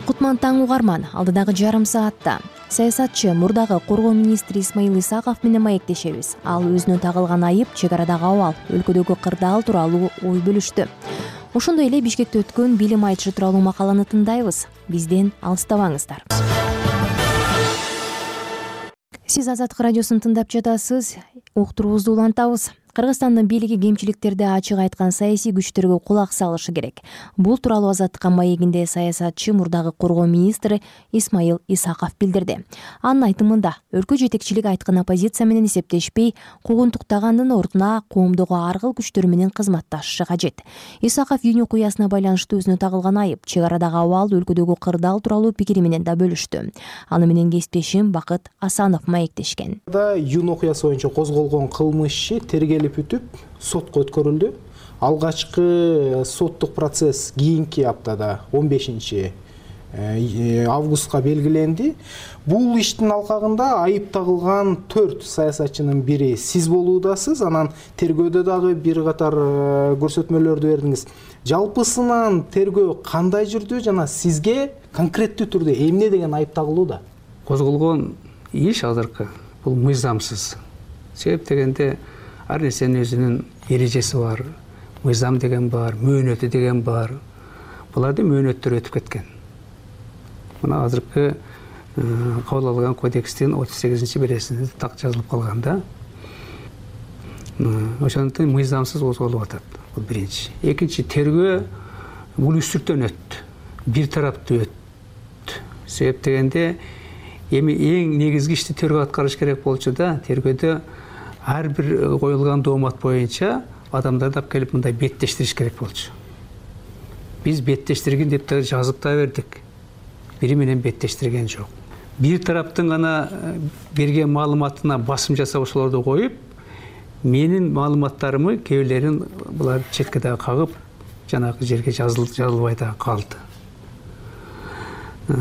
Кутман таң угарман, алдыдагы жарым саатта саясатчы мурдагы коргоо министри Исмаил Исаков менен маектешебиз. Ал өзүнө тагылган айып, чек арадагы абал, өлкөдөгү кырдаал тууралуу ой бөлүштү. Ошондой эле Бишкекте өткөн билим айтышы тууралуу макаланы тыңдайбыз. Бизден алыстабаңыздар. Сиз Азаттык радиосун тыңдап жатасыз. Уктурубузду улантабыз. Кыргызстандын бийлиги кемчиликтерди ачык айткан саясий күчтөргө кулак салышы керек. Бул тууралуу Азаттыкка маегинде саясатчы мурдагы коргоо министри Исмаил Исаков билдирди. Анын айтымында өлкө жетекчилиги айткан оппозиция менен эсептешпей, куугунтуктагандын ордуна коомдогу ар кыл күчтөр менен кызматташышы кажет. Исаков июнь окуясына байланыштуу өзүнө тагылган айып, чек арадагы абал, өлкөдөгү кырдаал тууралуу пикири менен да бөлүштү. Аны менен кесиптешим Бакыт Асанов маектешкен. Июнь окуясы боюнча козголгон кылмыш иши тергелип бүтүп сотко өткөрүлдү. Алгачкы соттук процесс кийинки аптада он бешинчи августка белгиленди. Бул иштин алкагында айып тагылган төрт саясатчынын бири сиз болуудасыз. Анан тергөөдө дагы бир катар көрсөтмөлөрдү бердиңиз. Жалпысынан тергөө кандай жүрдү жана сизге конкреттүү түрдө эмне деген айып тагылууда? Козголгон иш азыркы бул мыйзамсыз. Себеп дегенде ар нерсенин өзүнүн эрежеси бар, мыйзам деген бар, мөөнөтү деген бар. Булардын мөөнөттөрү өтүп кеткен. Мына азыркы кабыл алган кодекстин отуз сегизинчи бересинде так жазылып калган да. Ошондуктан мыйзамсыз козголуп атат. Бул биринчи. Экинчи, тергөө бул үстүртөн өттү. Бир тараптуу өттү. Себеп дегенде эми эң негизги ишти тергөө аткарыш керек болчу да, тергөөдө ар бир коюлган доомат боюнча адамдарды алып келип мындай беттештириш керек болчу. Биз беттештирген деп да жазып да бердик. Бири менен беттештирген жок. Бир тараптын гана берген маалыматына басым жасап ошолорду коюп, менин маалыматтарымы кээ бирлерин булар четке дагы кагып, жанагы жерге жазылбай да калды.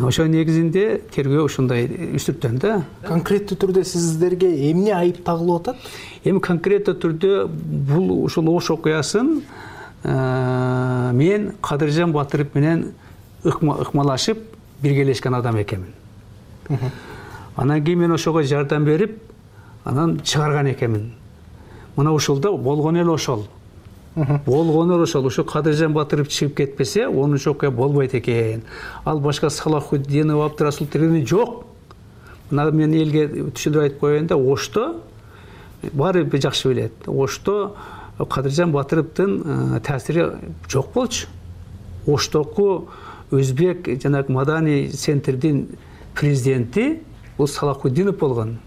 Ошо негизинде тергөө ушундай үстүртөн да. Конкреттүү түрдө сиздерге эмне айып тагылып атат? Эми конкреттүү түрдө бул ушул Ош окуясын мен Кадыржан Батыров менен ыкмалашып биргелешкен адам экенмин. Анан кийин мен ошого жардам берип, анан чыгарган экенмин. Мына ушулда болгон эле ошол. Болгону ошол, ушу Кадыржан Батыров чыгып кетпесе, онунчу окуя болбойт экен. Ал башка Салахутдинов, Абдырасул тергени жок. Мына мен элге түшүндүрүп айтып коеюн да, Ошто баары бир жакшы билет. Ошто Кадыржан Батыровдун таасири жок болчу. Оштоку Өзбек жанагы Мадани центрдин президенти бул Салахутдинов болгон.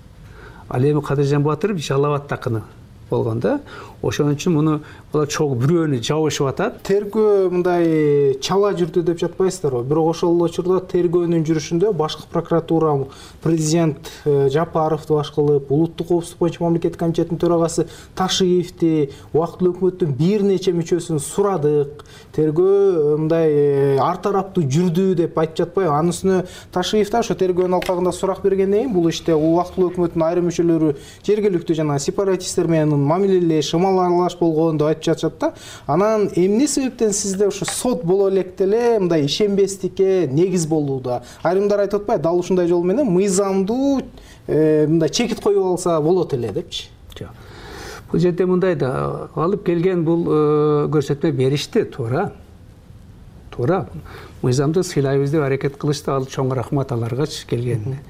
Ал эми Кадыржан Батыров Жалал-Абад такыны болгон да. Ошон үчүн муну булар чогуу бирөөнү жабышып атат. Тергөө мындай чала жүрдү деп жатпайсыздарбы? Бирок ошол учурда тергөөнүн жүрүшүндө башкы прокуратура, президент Жапаровду баш кылып, улуттук коопсуздук боюнча мамлекеттик комитеттин төрагасы Ташиевди, убактылуу өкмөттүн бир нече мүчөсүн сурадык. Тергөө мындай ар тараптуу жүрдү деп айтып жатпайбы? Анын үстүнө Ташиев да ошо тергөөнүн алкагында сурак бергенден кийин бул иште убактылуу өкмөттүн айрым мүчөлөрү жергиликтүү жана сепаратисттер менен мамилелеш, аралаш болгон деп айтып жатышат да. Анан эмне себептен сизде ошо сот боло электе эле мындай ишенбестикке негиз болууда? Айрымдар айтып атпайбы, дал ушундай жол менен мыйзамдуу мындай чекит коюп алса болот эле депчи? Жок. Бул жерде мындай да, алып келген бул көрсөтмө беришти, туура. Туура. Мыйзамды сыйлайбыз деп аракет кылышты, ал чоң рахмат аларгачы келгенине.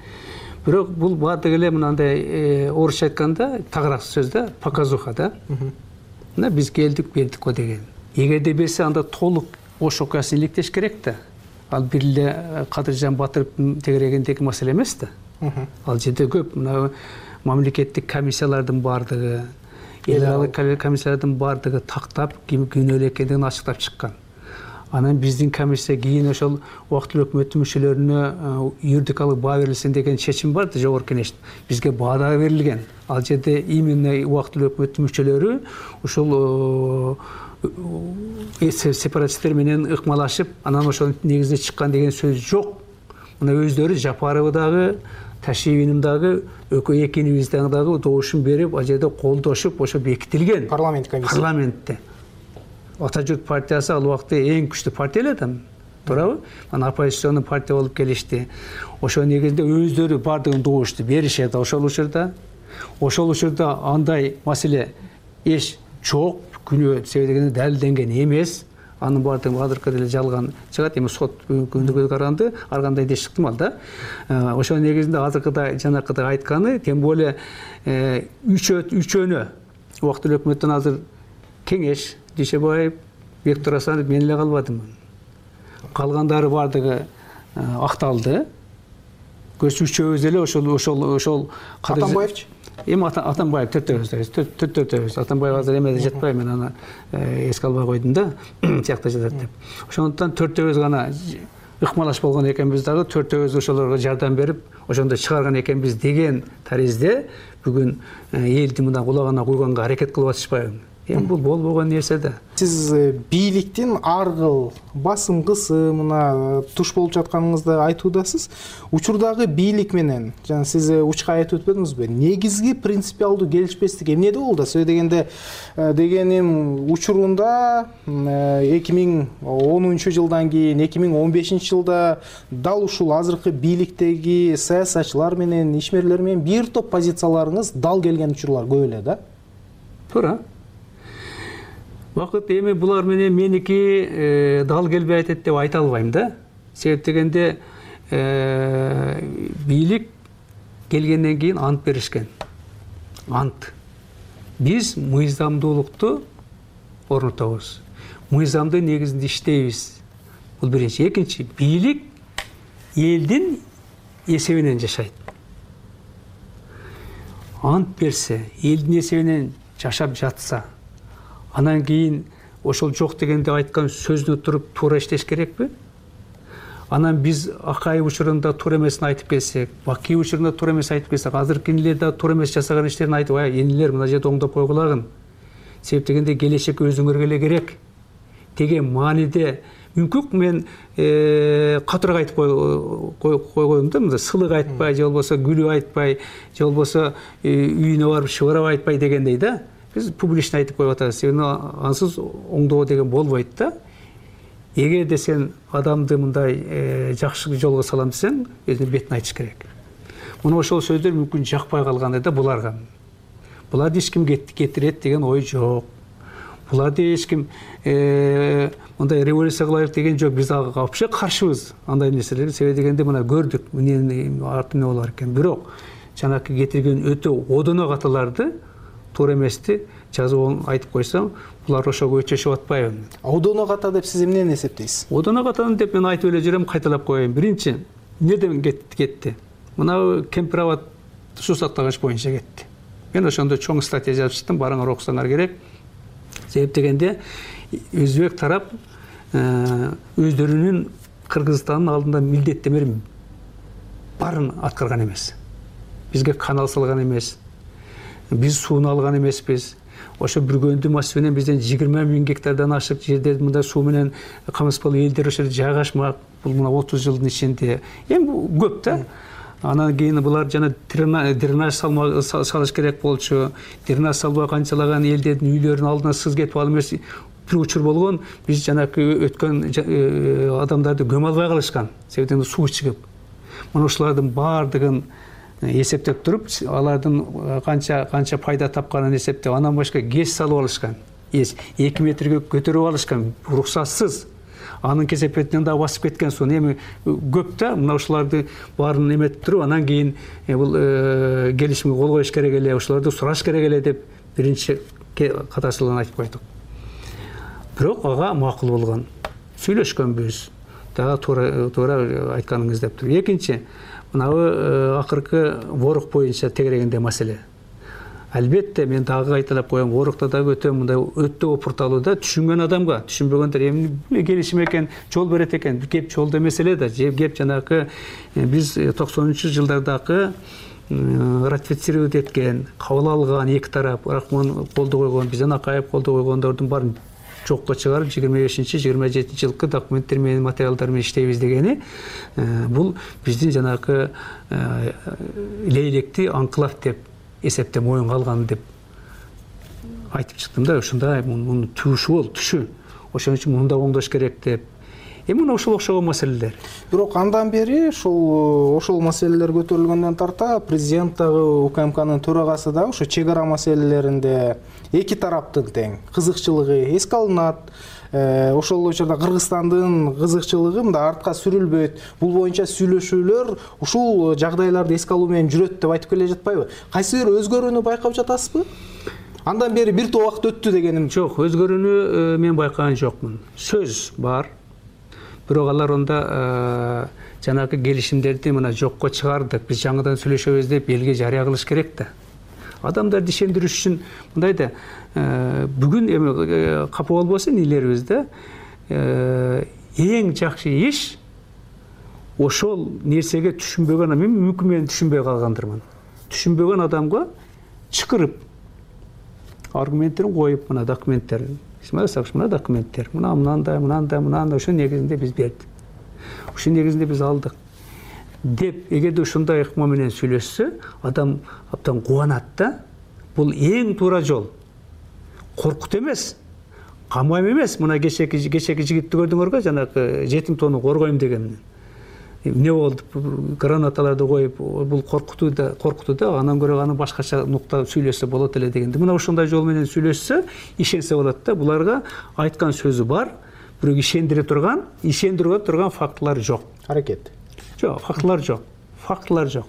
бирок бул баардыгы эле мынандай орусча айтканда тагыраак сөз да, показуха да. Мына биз келдик, бердик го деген. Эгерде берсе анда толук ош окуясын иликтеш керек да. Ал бир эле Кадыржан Батыровдун тегерегиндеги маселе эмес да. Ал жерде көп мына мамлекеттик комиссиялардын баардыгы, эл аралык комиссиялардын баардыгы тактап ким күнөөлүү экендигин ачыктап чыккан. Анан биздин комиссия кийин ошол убактылуу өкмөттүн мүчөлөрүнө юридикалык баа берилсин деген чечим бар да жогорку кеңештин. Бизге баа да берилген. Ал жерде именно убактылуу өкмөттүн мүчөлөрү ошол сепаратисттер менен ыкмалашып, анан ошонун негизинде чыккан деген сөз жок. Мына өздөрү Жапарова дагы, Ташиевинин дагы, экөө экинибиз дагы добушун берип, ал жерде колдошуп, ошо бекитилген. Парламент комиссия. Парламентте. Ата журт партиясы ал убакта эң күчтүү партия эле да. Туурабы? Анан оппозиционный партия болуп келишти. Ошо негизинде өздөрү бардыгын добушту беришет ошол учурда. Ошол учурда андай маселе эч жок, күнөө себебинде далилденген эмес. Анын баардыгы азыркы деле жалган чыгат, эми сот күндүгү каранды, ар кандай деш ыктымал да. Ошол негизинде азыркыдай жанакыдай айтканы, тем более үчөөнө убактылуу өкмөттөн азыр кеңеш, Дүйшөбаев, Бектур Асанов, мен эле калбадым. Калгандары баардыгы акталды. Көз үчөөбүз эле ошол ошол ошол Атамбаевчы? Эми Атамбаев төртөөбүз, төртөөбүз. Атамбаев азыр эмеде жатпайбы, мен аны эске албай койдум да, тиякта жатат деп. Ошондуктан төртөөбүз гана ыкмалаш болгон экенбиз дагы, төртөөбүз ошолорго жардам берип, ошондо чыгарган экенбиз деген таризде бүгүн элди мына кулагына куйганга аракет кылып атышпайбы? Эми бул болбогон нерсе да. Сиз бийликтин ар кыл басым кысымына туш болуп жатканыңызды айтуудасыз. Учурдагы бийлик менен, жана сиз учка айтып өтпөдүңүзбү? Негизги принципиалдуу келишпестик эмнеде болду? Сөзү дегенде дегеним учурунда эки миң онунчу жылдан кийин эки миң он бешинчи жылда дал ушул азыркы бийликтеги саясатчылар менен, ишмерлер менен бир топ позицияларыңыз дал келген учурлар көп эле да. Туура. Вакыт эми булар менен меники дал келбей атат деп айта албайм да. Себеп дегенде бийлик келгенден кийин ант беришкен. Ант. Биз мыйзамдуулукту орнотобуз. Мыйзамдын негизинде иштейбиз. Бул биринчи. Экинчи, бийлик элдин эсебинен жашайт. Ант берсе, элдин эсебинен жашап жатса, анан кийин ошол жок дегенде айткан сөзүнө туруп туура иштеш керекпи? Анан биз Акаев учурунда туура эмесин айтып келсек, Бакиев учурунда туура эмес айтып келсек, азыркы энелер да туура эмес жасаган иштерин айтып, ай энелер мына жерде оңдоп койгулагын. Себеп дегенде келечек өзүңөргө эле керек. Деген мааниде мүмкүн мен катуураак айтып койгоюм да, мында сылык айтпай, же болбосо күлүп айтпай, же болбосо үйүнө барып шыбырап айтпай дегендей да. Биз публично айтып коюп атабыз. Себеби ансыз оңдоо деген болбойт да. Эгерде сен адамды мындай жакшы жолго салам десең, өзүнүн бетин айтыш керек. Мына ошол сөздөр мүмкүн жакпай калгандай да буларга. Буларды эч ким кетирет деген ой жок. Буларды эч ким мындай революция кылайык деген жок. Биз ага вообще каршыбыз андай нерселерге. Себеби дегенде мына көрдүк, эмне арты эмне болор экен. Бирок жанакы кетирген өтө одоно каталарды туура эмести жазып айтып койсом, булар ошого өчөшүп атпайбы? Одоно ката деп сиз эмнени эсептейсиз? Одоно катаны деп мен айтып эле жүрөм, кайталап коеюн. Биринчи, эмнеден кетти? Мына Кемпирабад суу сактагыч боюнча кетти. Мен ошондо чоң статья жазып чыктым, барыңар окусаңар керек. Себеп дегенде өзбек тарап өздөрүнүн Кыргызстандын алдында милдеттемелерин баарын аткарган эмес. Бизге канал салган эмес. Биз сууну алган эмеспиз. Ошо Бүргөндү массив менен бизден жыйырма миң гектардан ашык жерде мындай суу менен камыспал элдер ошо жайгашмак. Бул мына отуз жылдын ичинде эми көп да. Анан кийин булар жана дренаж салыш керек болчу. Дренаж салбай канчалаган элдердин үйлөрүнүн алдына сыз кетип алып эмес бир учур болгон. Биз жанакы өткөн адамдарды көмө албай калышкан. Себеби суу чыгып. Мына ушулардын баардыгын эсептеп туруп, алардын канча канча пайда тапканын эсептеп, анан башка гэс салып алышкан. эки метрге көтөрүп алышкан, уруксатсыз. анын кесепетинен дагы басып кеткен сон эми көп да мына ушуларды баарын эметип туруп анан кийин бул келишимге кол коюш керек эле, ошолорду сураш керек эле деп биринчи катарчылыгын айтып койдук. Бирок ага макул болгон. Сүйлөшкөнбүз. Дагы туура туура айтканыңыз деп тур. Экинчи, мынабы акыркы ворок боюнча тегерегенде маселе. Албетте мен дагы кайталап коем, ворокто дагы өтө мындай өтө опурталуу да, түшүнгөн адамга, түшүнбөгөндөр эмне келишим экен, жол берет экен. Кеп жолдо эмес эле да, кеп жанагы биз токсонунчу жылдардагы ратифицировать эткен, кабыл алган эки тарап, Рахмон колдо койгон, бизден Акаев колдо койгондордун баарын жокко чыгарып, жыйырма бешинчи жыйырма жетинчи жылкы документтер менен, материалдар менен иштейбиз дегени, бул биздин жанагы лейлекти анклав деп эсептеп моюнга алган деп айтып чыктым да. Ушундай мунун түшү бол, түшү. Ошон үчүн муну да оңдош керек деп. Эми мына ошол окшогон маселелер. Бирок андан бери ошол ошол маселелер көтөрүлгөндөн тарта президент дагы УКМКнын төрагасы дагы ошо чек ара маселелеринде эки тараптын тең кызыкчылыгы эске алынат. Ошол учурда Кыргызстандын кызыкчылыгы мында артка сүрүлбөйт. Бул боюнча сүйлөшүүлөр ушул жагдайларды эске алуу менен жүрөт деп айтып келе жатпайбы? Кайсы бир өзгөрүүнү байкап жатасызбы? Андан бери бир топ убакыт өттү дегеним. Жок, өзгөрүүнү мен байкаган жокмун. Сөз бар. Бирок алар онда жанагы келишимдерди мына жокко чыгардык, биз жаңыдан сүйлөшөбүз деп элге жарыя кылыш керек да. Адамдарды ишендириш үчүн мындай да, бүгүн эми капа болбосун илерибиз да, эң жакшы иш ошол нерсеге түшүнбөгөн, мен мүмкүн мен түшүнбөй калгандырмын. Түшүнбөгөн адамга чакырып аргументтерин коюп, мына документтер, мына документтер, мына мынандай, мынандай, мынандай, ошо негизинде биз бердик. Ошо негизинде биз алдык деп, эгерде ушундай ыкма менен сүйлөшсө, адам абдан кубанат да. Бул эң туура жол. Коркут эмес, камайм эмес. Мына кечеки кечеки жигитти көрдүңөргө, жанагы жетим тоону коргойм деген. Эмне болду? Гранаталарды коюп, бул коркутуу да, коркутуу да, андан көрө аны башкача нукта сүйлөсө болот эле дегенди. Мына ошондой жол менен сүйлөшсө, ишенсе болот да. Буларга айткан сөзү бар, бирок ишендире турган, ишендире турган фактылар жок. Аракет. Жок, фактылар жок. Фактылар жок.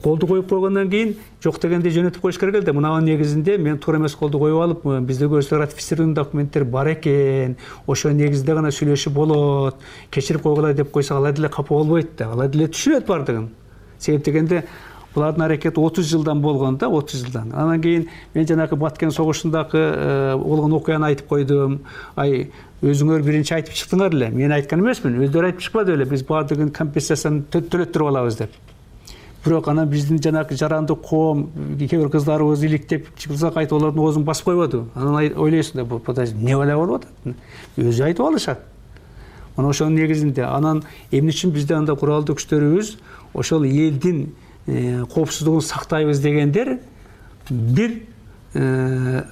Колду коюп койгондон кийин жок дегенде жөнөтүп коюш керек эле. Мынанын негизинде мен туура эмес колду коюп алып, бизде көрсө ратифицированный документтер бар экен, ошо негизинде гана сүйлөшүп болот, кечирип койгула деп койсо алар деле капа болбойт да. Алар деле түшүнөт бардыгын. Себеп дегенде булардын аракети отуз жылдан болгон да, отуз жылдан. Анан кийин мен жанагы Баткен согушундагы болгон окуяны айтып койдум. Ай, өзүңөр биринчи айтып чыктыңар эле. Мен айткан эмесмин, өздөрү айтып чыкпады эле. Биз бардыгын компенсацияны төлөттүрүп алабыз деп. Бирок анан биздин жанагы жарандык коом, кээ бир кыздарыбыз иликтеп чыксак айтып алардын оозун басып койбоду. Анан ойлойсуң да, бул эмне бала болуп атат? Өзү айтып алышат. Мына ошонун негизинде анан эмне үчүн бизде анда куралдуу күчтөрүбүз ошол элдин коопсуздугун сактайбыз дегендер бир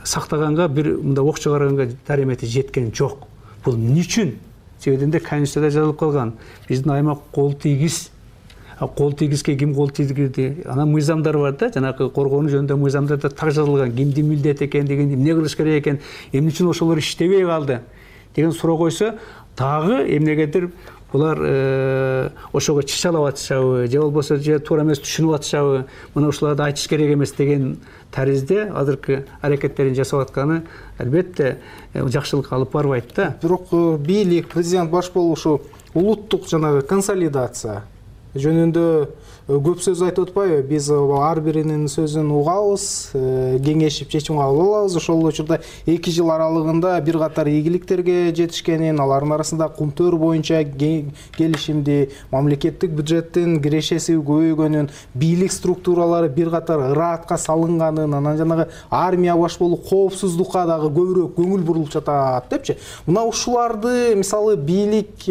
сактаганга, бир мындай ок чыгарганга даремети жеткен жок. Бул эмне үчүн? Себебинде Конституцияда жазылып калган. Биздин аймак кол тийгиз. Кол тийгизге ким кол тийгизди? Анан мыйзамдар бар да, жанагы коргонуу жөнүндө мыйзамдарда так жазылган, кимдин милдети экен деген, эмне кылыш керек экен, эмне үчүн ошолор иштебей калды деген суроо койсо, дагы эмнегедир булар ошого чычалап атышабы, же болбосо же туура эмес түшүнүп атышабы, мына ушуларды айтыш керек эмес деген таризде азыркы аракеттерин жасап атканы албетте жакшылыкка алып барбайт да. Бирок бийлик, президент баш болушу улуттук жанагы консолидация жөнүндө көп сөз айтып атпайбы? Биз ар биринин сөзүн угабыз, кеңешип чечим кабыл алабыз. Ошол учурда эки жыл аралыгында бир катар ийгиликтерге жетишкенин, алардын арасында кумтөр боюнча келишимди, мамлекеттик бюджеттин кирешеси көбөйгөнүн, бийлик структуралары бир катар ыраатка салынганын, анан жанагы армия баш болуп коопсуздукка дагы көбүрөөк көңүл бурулуп жатат депчи. Мына ушуларды мисалы бийлик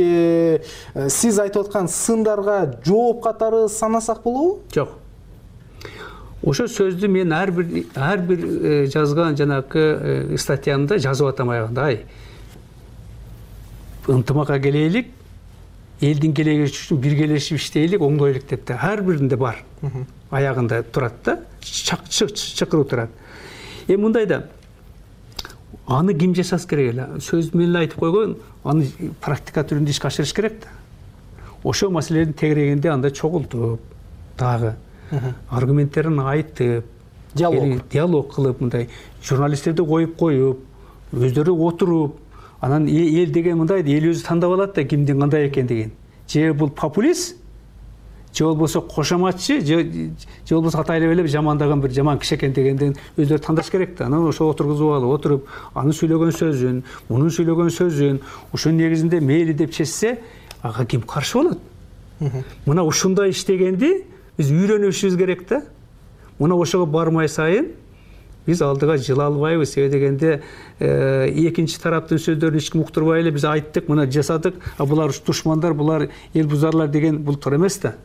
сиз айтып аткан сындарга жооп катары санасак болобу? Жок. Ошо сөздү мен ар бир ар бир жазган жанагы статьямда жазып атам аягында. Ай, ынтымакка келелик, элдин келечеги үчүн биргелешип иштейлик, оңдойлук деп да ар биринде бар. Аягында турат да, чакыруу турат. Эми мындай да аны ким жасаш керек эле? Сөз менен айтып койгон, аны практика түрүндө ишке ашырыш керек да. Ошол маселелерди тегерегенде анда чогултуп дагы аргументтерин айтып, диалог диалог кылып, мындай журналисттерди коюп коюп, өздөрү отуруп, анан эл деген мындай эл өзү тандап алат да кимдин кандай экендигин. Же бул популист, же болбосо кошоматчы, же же болбосо атайлап эле жамандаган бир жаман киши экен дегенден өздөрү тандаш керек да. Анан ошо отургузуп алып, отуруп, анын сүйлөгөн сөзүн, мунун сүйлөгөн сөзүн, ошонун негизинде мейли деп чечсе, ага ким каршы болот? Мына ушундай иштегенди биз үйрөнүшүбүз керек да. Мына ошого бармай сайын биз алдыга жыла албайбыз. Себеби дегенде экинчи тараптын сөздөрүн эч ким уктурбай эле биз айттык, мына жасадык, а булар душмандар, булар эл бузарлар деген бул туура эмес да.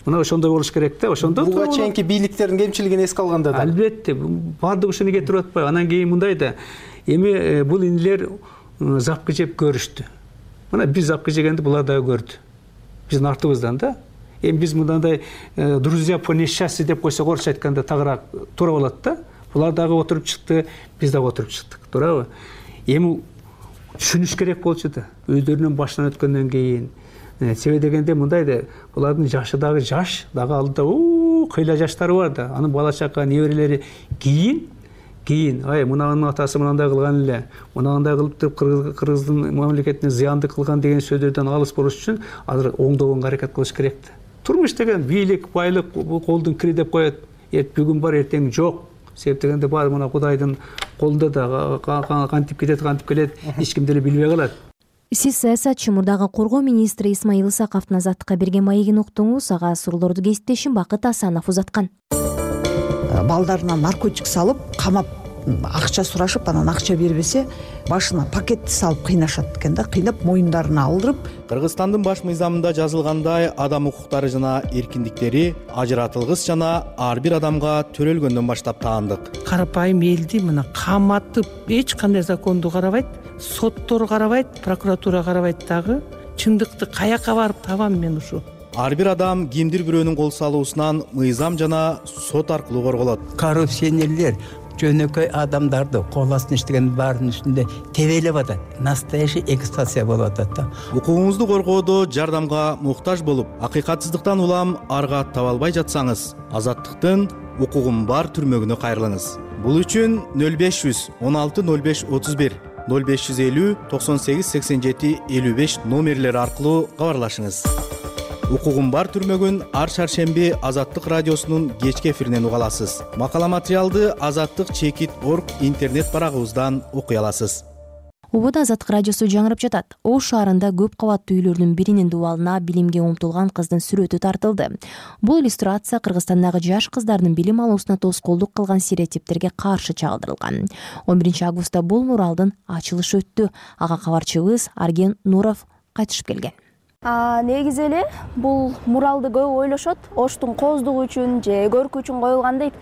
Мына ошондой болуш керек да. Ошондо буга чейинки бийликтердин кемчилигин эске алганда да. Албетте, баардыгы ушуну кетирип атпайбы. Анан кийин мындай да. Эми бул инилер запкы жеп көрүштү. Мына биз запкы жегенди булар дагы көрдү. Биздин артыбыздан да. Эми биз мындай друзья по несчастью деп койсок, орусча айтканда тагыраак туура болот да. Булар дагы отуруп чыкты, биз дагы отуруп чыктык, туурабы? Эми түшүнүш керек болчу да, өздөрүнүн башынан өткөндөн кийин. Себеби дегенде мындай да, булардын жашы дагы жаш, дагы алдыда кыйла жаштары бар да. Анын бала чака, неберелери кийин кийин, ай, мунанын атасы мынандай кылган эле, мынандай кылып туруп кыргыздын мамлекетине зыянды кылган деген сөздөрдөн алыс болуш үчүн азыр оңдогонго аракет кылыш керек да. Турмуш деген бийлик, байлык колдун кири деп коет. Бүгүн бар, эртең жок. Себеп дегенде баары мына Кудайдын колунда да, кантип кетет, кантип келет, эч ким деле билбей калат. Сиз саясатчы, мурдагы коргоо министри Исмаил Исаковдун Азаттыкка берген маегин уктуңуз. Ага суроолорду кесиптешим Бакыт Асанов узаткан. Балдарына наркотик салып, камап, акча сурашып, анан акча бербесе, башына пакетти салып кыйнашат экен да, кыйнап моюндарына алдырып. Кыргызстандын баш мыйзамында жазылгандай, адам укуктары жана эркиндиктери ажыратылгыс жана ар бир адамга төрөлгөндөн баштап таандык. Карапайым элди мына каматып, эч кандай законду карабайт, соттор карабайт, прокуратура карабайт дагы. Чындыкты каяка барып табам мен ушу? Ар бир адам кимдир бирөөнүн кол салуусунан мыйзам жана сот аркылуу корголот. Коррупционерлер жөнөкөй адамдарды кол астына иштеген баарынын үстүндө тебелеп атат. Настоящий эксплуатация болуп атат да. Укугуңузду коргоодо жардамга муктаж болуп, акыйкатсыздыктан улам арга таба албай жатсаңыз, Азаттыктын укугум бар түрмөгүнө кайрылыңыз. Бул үчүн нөл беш жүз он алты нөл беш отуз бир, нөл беш жүз элүү токсон сегиз сексен жети элүү беш номерлери аркылуу кабарлашыңыз. Укугум бар түрмөгүн ар шаршемби Азаттык радиосунун кечки эфиринен уга аласыз. Макала материалды Азаттык чекит точка орг интернет барагыбыздан окуй аласыз. Убада Азаттык радиосу жаңырып жатат. Ош шаарында көп кабаттуу үйлөрдүн биринин дубалына билимге умтулган кыздын сүрөтү тартылды. Бул иллюстрация Кыргызстандагы жаш кыздардын билим алуусуна тоскоолдук кылган стереотиптерге каршы чагылдырылган. он биринчи августта бул муралдын ачылышы өттү. Ага кабарчыбыз Арген Нуров кайтышып келген. Негизи эле бул муралды көп ойлошот, Оштун кооздугу үчүн же көркү үчүн коюлган дейт.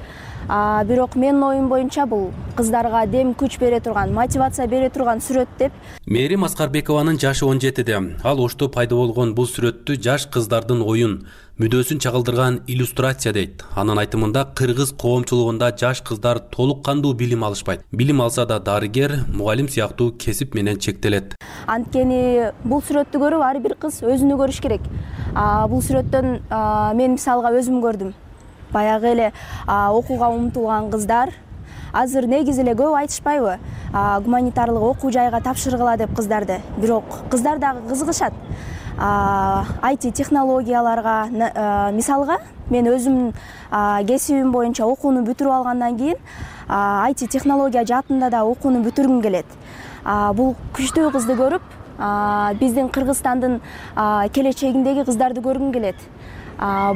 Бирок менин оюм боюнча бул кыздарга дем күч бере турган, мотивация бере турган сүрөт деп. Мээрим Аскарбекованын жашы он жетиде. Ал Ошто пайда болгон бул сүрөттү жаш кыздардын оюн, мүдөөсүн чагылдырган иллюстрация дейт. Анын айтымында кыргыз коомчулугунда жаш кыздар толук кандуу билим алышпайт. Билим алса да дарыгер, мугалим сыяктуу кесип менен чектелет. Анткени бул сүрөттү көрүп ар бир кыз өзүнү көрүш керек. Бул сүрөттөн мен мисалга өзүм көрдүм. Баягы эле окууга умтулган кыздар азыр негизи эле көп айтышпайбы? Гуманитарлык окуу жайга тапшыргыла деп кыздарды. Бирок кыздар дагы кызыгышат. ай ти технологияларга, мисалга мен өзүм кесибим боюнча окууну бүтүрүп алгандан кийин ай ти технология жаатында да окууну бүтүргүм келет. Бул күчтүү кызды көрүп, биздин Кыргызстандын келечегиндеги кыздарды көргүм келет.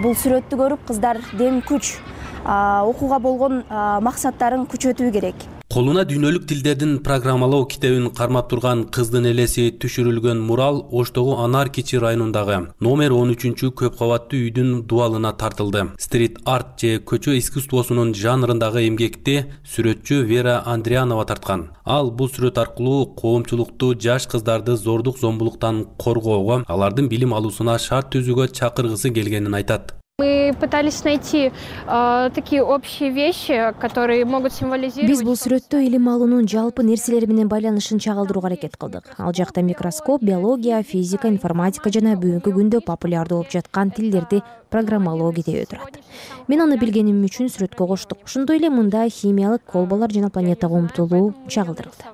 Бул сүрөттү көрүп кыздар дем күч, окууга болгон максаттарын күчөтүү керек. Колуна дүйнөлүк тилдердин программалоо китебин кармап турган кыздын элеси түшүрүлгөн мурал Оштогу Анар Кичи районундагы номер он үчүнчү көп кабаттуу үйдүн дубалына тартылды. Стрит арт же көчө искусствосунун жанрындагы эмгекти сүрөтчү Вера Андрианова тарткан. Ал бул сүрөт аркылуу коомчулукту жаш кыздарды зордук зомбулуктан коргоого, алардын билим алуусуна шарт түзүүгө чакыргысы келгенин айтат. Мы пытались найти э, такие общие вещи, которые могут символизировать. Биз бул сүрөттө илим алуунун жалпы нерселер менен байланышын чагылдырууга аракет кылдык. Ал жакта микроскоп, биология, физика, информатика жана бүгүнкү күндө популярдуу болуп жаткан тилдерди программалоо кетеби турат. Мен аны билгеним үчүн сүрөткө коштук. Ошондой эле мында химиялык колбалар жана планетага умтулуу чагылдырылды.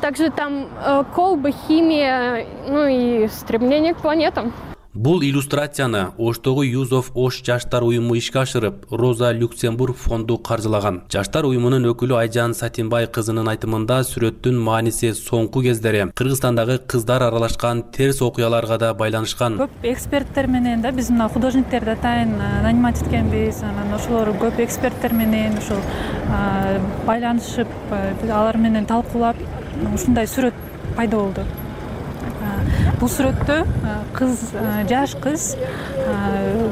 Также там э, колбы, химия, ну и стремление к планетам. Бул иллюстрацияны Оштогу Youth of Osh жаштар уюму ишке ашырып, Роза Люксембург фонду каржылаган. Жаштар уюмунун өкүлү Айжан Сатинбай кызынын айтымында сүрөттүн мааниси соңку кездери Кыргызстандагы кыздар аралашкан терс окуяларга да байланышкан. Көп эксперттер менен да биз мына художниктерди атайын нанимать эткенбиз. Анан ошолор көп эксперттер менен ошол байланышып, алар менен талкуулап ушундай сүрөт пайда болду. Бул сүрөттө кыз, жаш кыз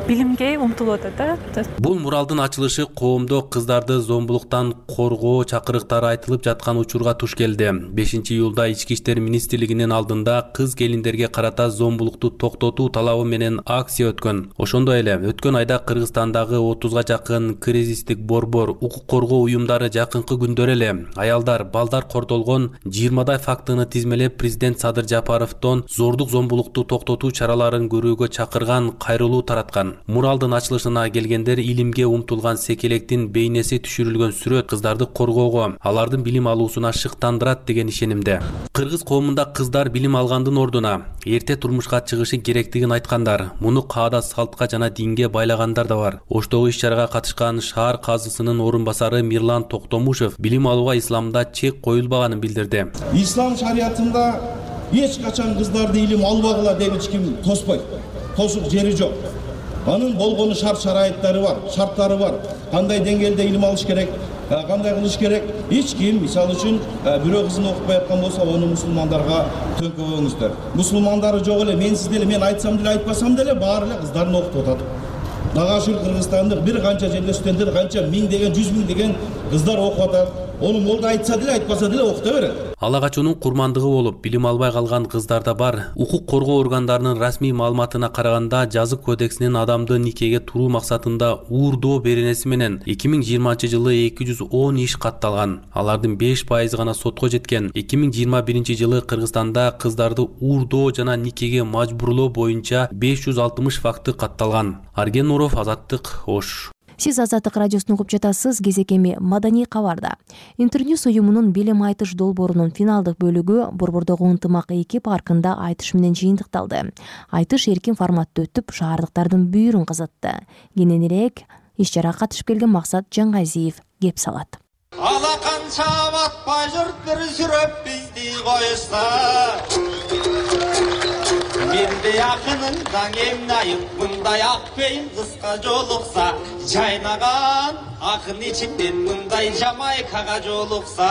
билимге умтулуп атат да. Бул муралдын ачылышы коомдо кыздарды зомбулуктан коргоо чакырыктары айтылып жаткан учурга туш келди. бешинчи июлда Ички иштер министрлигинин алдында кыз келиндерге карата зомбулукту токтотуу талабы менен акция өткөн. Ошондой эле өткөн айда Кыргызстандагы отузга жакын кризистик борбор, укук коргоо уюмдары жакынкы күндөр эле аялдар, балдар кордолгон жыйырмадай фактыны тизмелеп президент Садыр Жапаровдон зордук зомбулукту токтотуу чараларын көрүүгө чакырган кайрылуу тараткан. Муралдын ачылышына келгендер илимге умтулган секелектин бейнеси түшүрүлгөн сүрөт кыздарды коргоого, алардын билим алуусуна шыктандырат деген ишенимде. Кыргыз коомунда кыздар билим алгандын ордуна эрте турмушка чыгышы керектигин айткандар, муну каада салтка жана динге байлагандар да бар. Оштогу иш-чарага катышкан шаар казысынын орун басары Мирлан Токтомушев билим алууга исламда чек коюлбаганын билдирди. Ислам шариятында эч качан кыздарды илим албагыла деп эч ким тоспойт. Тосук жери жок. Анын болгону шарт шарайыттары бар, шарттары бар. Кандай деңгээлде илим алыш керек, кандай кылыш керек? Эч ким, мисалы үчүн, бирөө кызын окупай аткан болсо, аны мусулмандарга төңкөбөңүздөр. Мусулмандары жок эле, мен сизде эле, мен айтсам деле, айтпасам деле баары эле кыздарын окутуп атат. Дагы ушул Кыргызстандык бир канча жерде студенттер, канча миң деген, жүз миң деген кыздар окуп атат. Ону молда айтса деле, айтпаса деле окута берет. Ала качуунун курмандыгы болуп, билим албай калган кыздар да бар. Укук коргоо органдарынын расмий маалыматына караганда, жазык кодексинин адамды никеге туруу максатында уурдоо беренеси менен эки миң жыйырманчы жылы эки жүз он иш катталган. Алардын беш пайызы гана сотко жеткен. эки миң жыйырма биринчи жылы Кыргызстанда кыздарды уурдоо жана никеге мажбурлоо боюнча беш жүз алтымыш факты катталган. Арген Нуров, Азаттык, Ош. Сиз Азаттык радиосун угуп жатасыз. Кезекеми маданий кабарда. Интерньюс уюмунун билим айтыш долбоорунун финалдык бөлүгү Борбордогу ынтымак эки паркында айтыш менен жыйынтыкталды. Айтыш эркин форматта өтүп, шаардыктардын бүйүрүн казатты. Кененирээк иш-чарага катышып келген Максат Жаңгазиев кеп салат. Ала канча батпай жұрт бір жүріп бізді қойса, менде ақыныңдан емнайып, мұндай ақпейін қысқа жолықса, жайнаған ақын içimден мұндай Жамайкаға жолықса.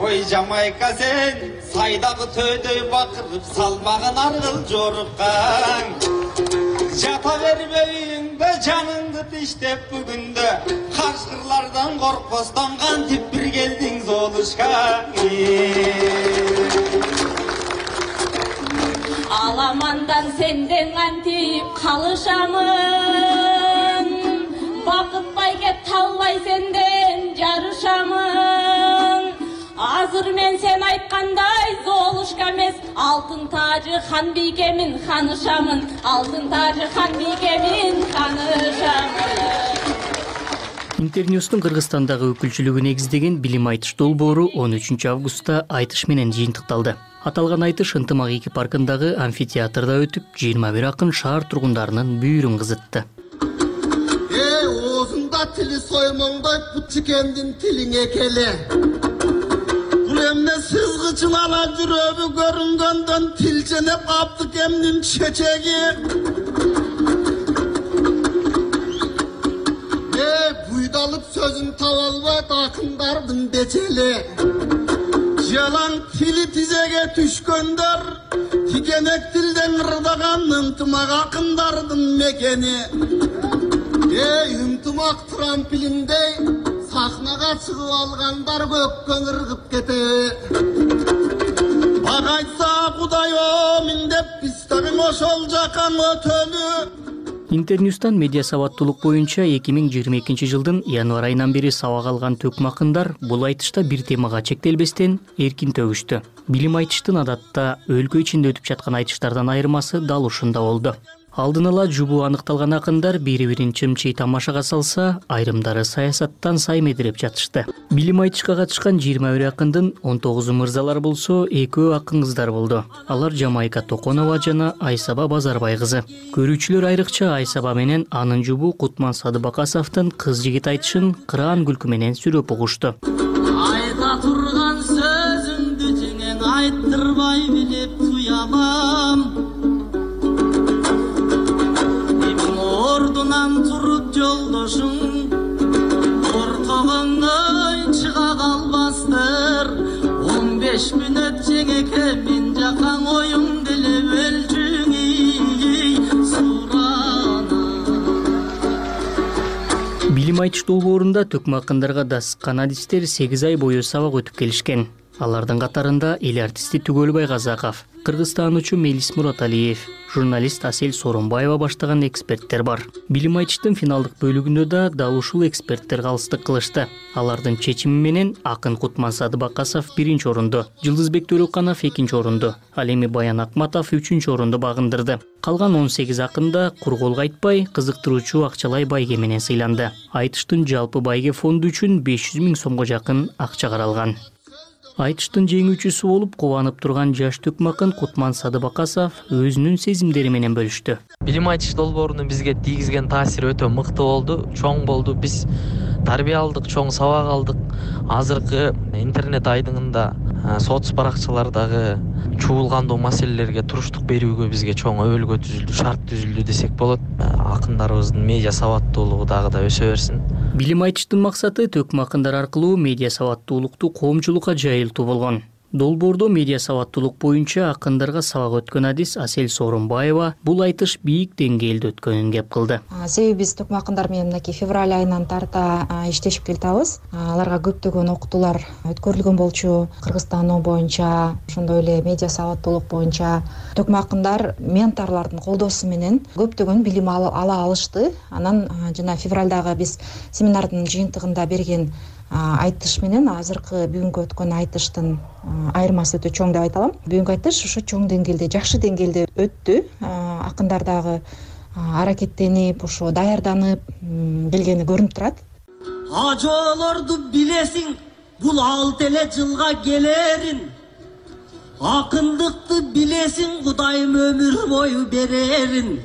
Ой, Жамайка сен, сайдағы төйдөй бақырып, салмағын арғыл жорыққан. Жата бермейіңді, жаныңды тиштеп бүгінді, қашқырлардан қорқпастан қантип бір келдің Золушка. Аламандан сенден қантип қалышамын, бақытпай кеп таллай сенден жарышамын. Азыр мен сен айткандай Золушка эмес, алтын тажы хан бийкемин ханышамын, алтын тажы хан бийкемин ханышамын. Интерньюстун Кыргызстандагы өкүлчүлүгү негиздеген билим айтыш долбоору он үчүнчү августта айтыш менен жыйынтыкталды. Аталган айтыш ынтымак эки паркындагы амфитеатрда өтүп, жыйырма бир акын шаар тургундарынын бүйүрүн кызытты. Эй, оозунда тили соймоңдой путчикендин тилиңе келе. Emne sızgıçın ala жүрөбү көрүнгөндөн тилченеп аптык эмнин чечеги. Э, буйдалып сөзүн таба албайт акындардын бечели. Жалаң тили тизеге түшкөндөр, тигенек тилден ырдаган ынтымак акындардын мекени. Эй, ынтымак трамплиндей сахнага чыгып алгандар көккөн ыргып кетеби. Багайтса Кудай омин деп, биз дагы ошол жакка өтөлү. Интерньюстан медиа сабаттуулук боюнча эки миң жыйырма экинчи жылдын январь айынан бери сабак алган төкмө акындар бул айтышта бир темага чектелбестен эркин төгүштү. Билим айтыштын адатта өлкө ичинде өтүп жаткан айтыштардан айырмасы дал ушунда болду. Алдын ала жубу аныкталган акындар бири-бирин чымчый тамашага салса, айрымдары саясаттан саймедиреп жатышты. Билим айтышка катышкан жыйырма бир акындын он тогузу мырзалар болсо, экөө акын кыздар болду. Алар Жамайка Токонова жана Айсаба Базарбай кызы. Көрүүчүлөр айрыкча Айсаба менен анын жубу Кутман Садыбакасовдун кыз жигит айтышын кыраан күлкү менен сүрөп угушту. Айта турган сөзүңдү теңең айттырбай билип туябам. Ордунан туруп жолдошуң коркогондой чыга калбастыр. он беш мүнөт жеңеке мен жакаң оюң деле өлчүң сурана. Билим айтыш долбоорунда төкмө акындарга дасыккан адистер сегиз ай бою сабак өтүп келишкен. Алардын катарында эл артисти Түгөлбай Казаков, кыргызстануучу Мелис Мураталиев, журналист Асель Сооронбаева баштаган эксперттер бар. Билим айтыштын финалдык бөлүгүндө да дал ушул эксперттер калыстык кылышты. Алардын чечими менен акын Кутман Садыбакасов биринчи орунду, Жылдызбек Төрөканов экинчи орунду, ал эми Баян Акматов үчүнчү орунду багындырды. Калган он сегиз акын да кур колго айтпай, кызыктыруучу акчалай байге менен сыйланды. Айтыштын жалпы байге фонду үчүн беш жүз миң сомго жакын акча каралган. Айтыштын жеңүүчүсү болуп кубанып турган жаш төкмө акын Кутман Садыбакасов өзүнүн сезимдери менен бөлүштү. Билим айтыш долбоорунун бизге тийгизген таасири өтө мыкты болду, чоң болду. Биз тарбия алдык, чоң сабак алдык. Азыркы интернет айдыңында соц баракчалардагы чуулгандуу маселелерге туруштук берүүгө бизге чоң өбөлгө түзүлдү, шарт түзүлдү десек болот. Акындарыбыздын медиа сабаттуулугу дагы да өсө берсин. Билим айтыштын максаты төкмө акындар аркылуу медиа сабаттуулукту коомчулукка жайылтуу болгон. Долбоордо медиа сабаттуулук боюнча акындарга сабак өткөн адис Асель Сооронбаева бул айтыш бийик деңгээлде өткөнүн кеп кылды. Себеби биз төкмө акындар менен мынакей февраль айынан тарта иштешип келатабыз. Аларга көптөгөн окутуулар өткөрүлгөн болчу. Кыргызстан боюнча, ошондой эле медиа сабаттуулук боюнча төкмө акындар менторлордун колдоосу менен көптөгөн билим ала алышты. Анан жана февралдагы биз семинардын жыйынтыгында берген айтыш менен азыркы бүгүнкү өткөн айтыштын айырмасы өтө чоң деп айта алам. Бүгүнкү айтыш ошо чоң деңгээлде, жакшы деңгээлде өттү. Акындар дагы аракеттенип, ошо даярданып келгени көрүнүп турат. Ажоолорду билесиң, бул алты эле жылга келерин. Акындыкты билесиң, Кудайым өмүр бою берерин.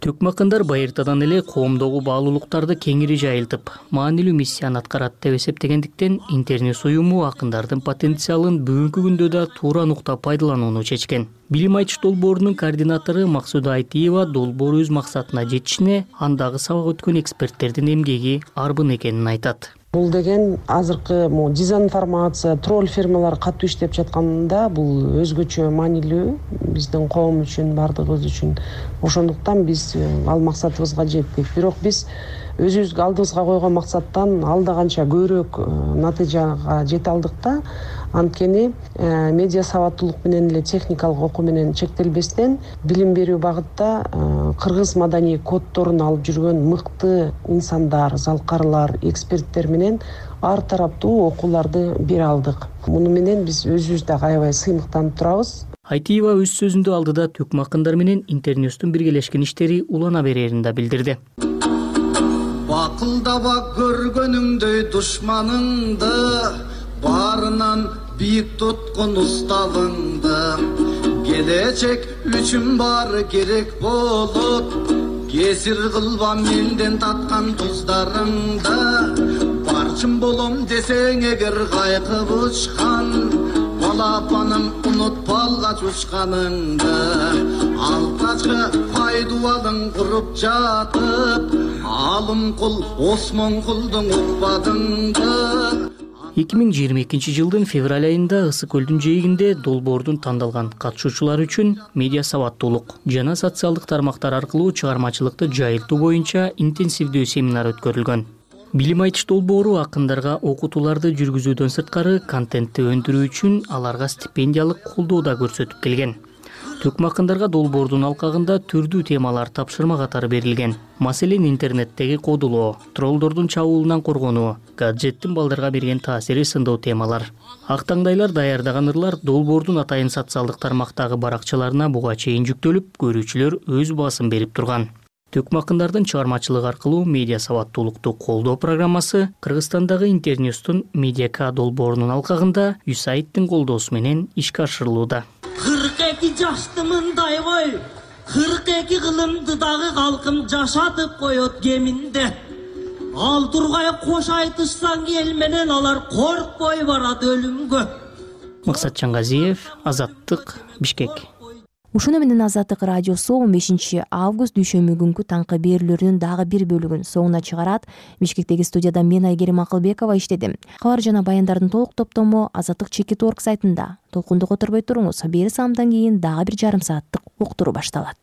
Төкмө акындар байыртадан эле коомдогу баалуулуктарды кеңири жайылтып, маанилүү миссияны аткарат деп эсептегендиктен Интерньюс уюму акындардын потенциалын бүгүнкү күндө да туура нукта пайдаланууну чечкен. Билим айтыш долбоорунун координатору Максуда Айтиева долбоор өз максатына жетишине андагы сабак өткөн эксперттердин эмгеги арбын экенин айтат. Бул деген азыркы дезинформация, тролль фирмалар катуу иштеп жатканда бул өзгөчө маанилүү биздин коом үчүн, бардыгыбыз үчүн. Ошондуктан биз ал максатыбызга жеттик. Бирок биз өзүбүзгө алдыбызга койгон максаттан алда канча көбүрөөк натыйжага жете алдык да. Анткени медиа сабаттуулук менен эле техникалык окуу менен чектелбестен билим берүү багытта кыргыз маданий коддорун алып жүргөн мыкты инсандар, залкарлар, эксперттер менен ар тараптуу окууларды бере алдык. Муну менен биз өзүбүз дагы аябай сыймыктанып турабыз. Айтиева өз сөзүндө алдыда төкмө акындар менен Интерньюстун биргелешкен иштери улана берерин да билдирди. Бакылдаба көргөнүңдөй душманыңды, барынан бийик туткун уставыңды. Келечек үчүн баары керек болот, кесир кылба менден таткан туздарыңды. Барчын болом десең эгер кайкып учкан, балапаным унутпа алгач учканыңды. Алкачкы пайдубалың куруп жатып, алым кул Осмон кулдун укпадыңды. эки миң жыйырма экинчи жылдын февраль айында Ысык көлдүн жээгинде долбоордун тандалган катышуучулары үчүн медиа сабаттуулук жана социалдык тармактар аркылуу чыгармачылыкты жайылтуу боюнча интенсивдүү семинар өткөрүлгөн. Билим айтыш долбоору акындарга окутууларды жүргүзүүдөн сырткары контентти өндүрүү үчүн аларга стипендиялык колдоо да көрсөтүп келген. Төкмакындарга долбоордун алкагында түрдүү темалар тапшырма катары берилген. Маселен, интернеттеги кодулоо, троллдордун чабуулунан коргонуу, гаджеттин балдарга берген таасири сындуу темалар. Ак таңдайлар даярдаган ырлар долбоордун атайын социалдык тармактагы баракчаларына буга чейин жүктөлүп, көрүүчүлөр өз баасын берип турган. Төкмакындардын чыгармачылыгы аркылуу медиа сабаттуулукту колдоо программасы Кыргызстандагы Интерньюстун Медиака долбоорунун алкагында ЮСАИДтин колдоосу менен ишке ашырылууда. кырк эки жаштымындай кой, кырк эки кылымды дагы калкым жашатып коет кеминде. Ал тургай кош айтышсаң эл менен алар коркпой барат өлүмгө. Максат Чангазиев, Азаттык, Бишкек. Ушуну менен Азаттык радиосу он бешинчи август дүйшөмбү күнкү таңкы берүүлөрүнүн дагы бир бөлүгүн соңуна чыгарат. Бишкектеги студияда мен Айгерим Акылбекова иштедим. Кабар жана баяндардын толук топтому Азаттык чекит точка орг сайтында. Толкунду которбой туруңуз. Бери саамдан кийин дагы бир жарым сааттык уктуруу башталат.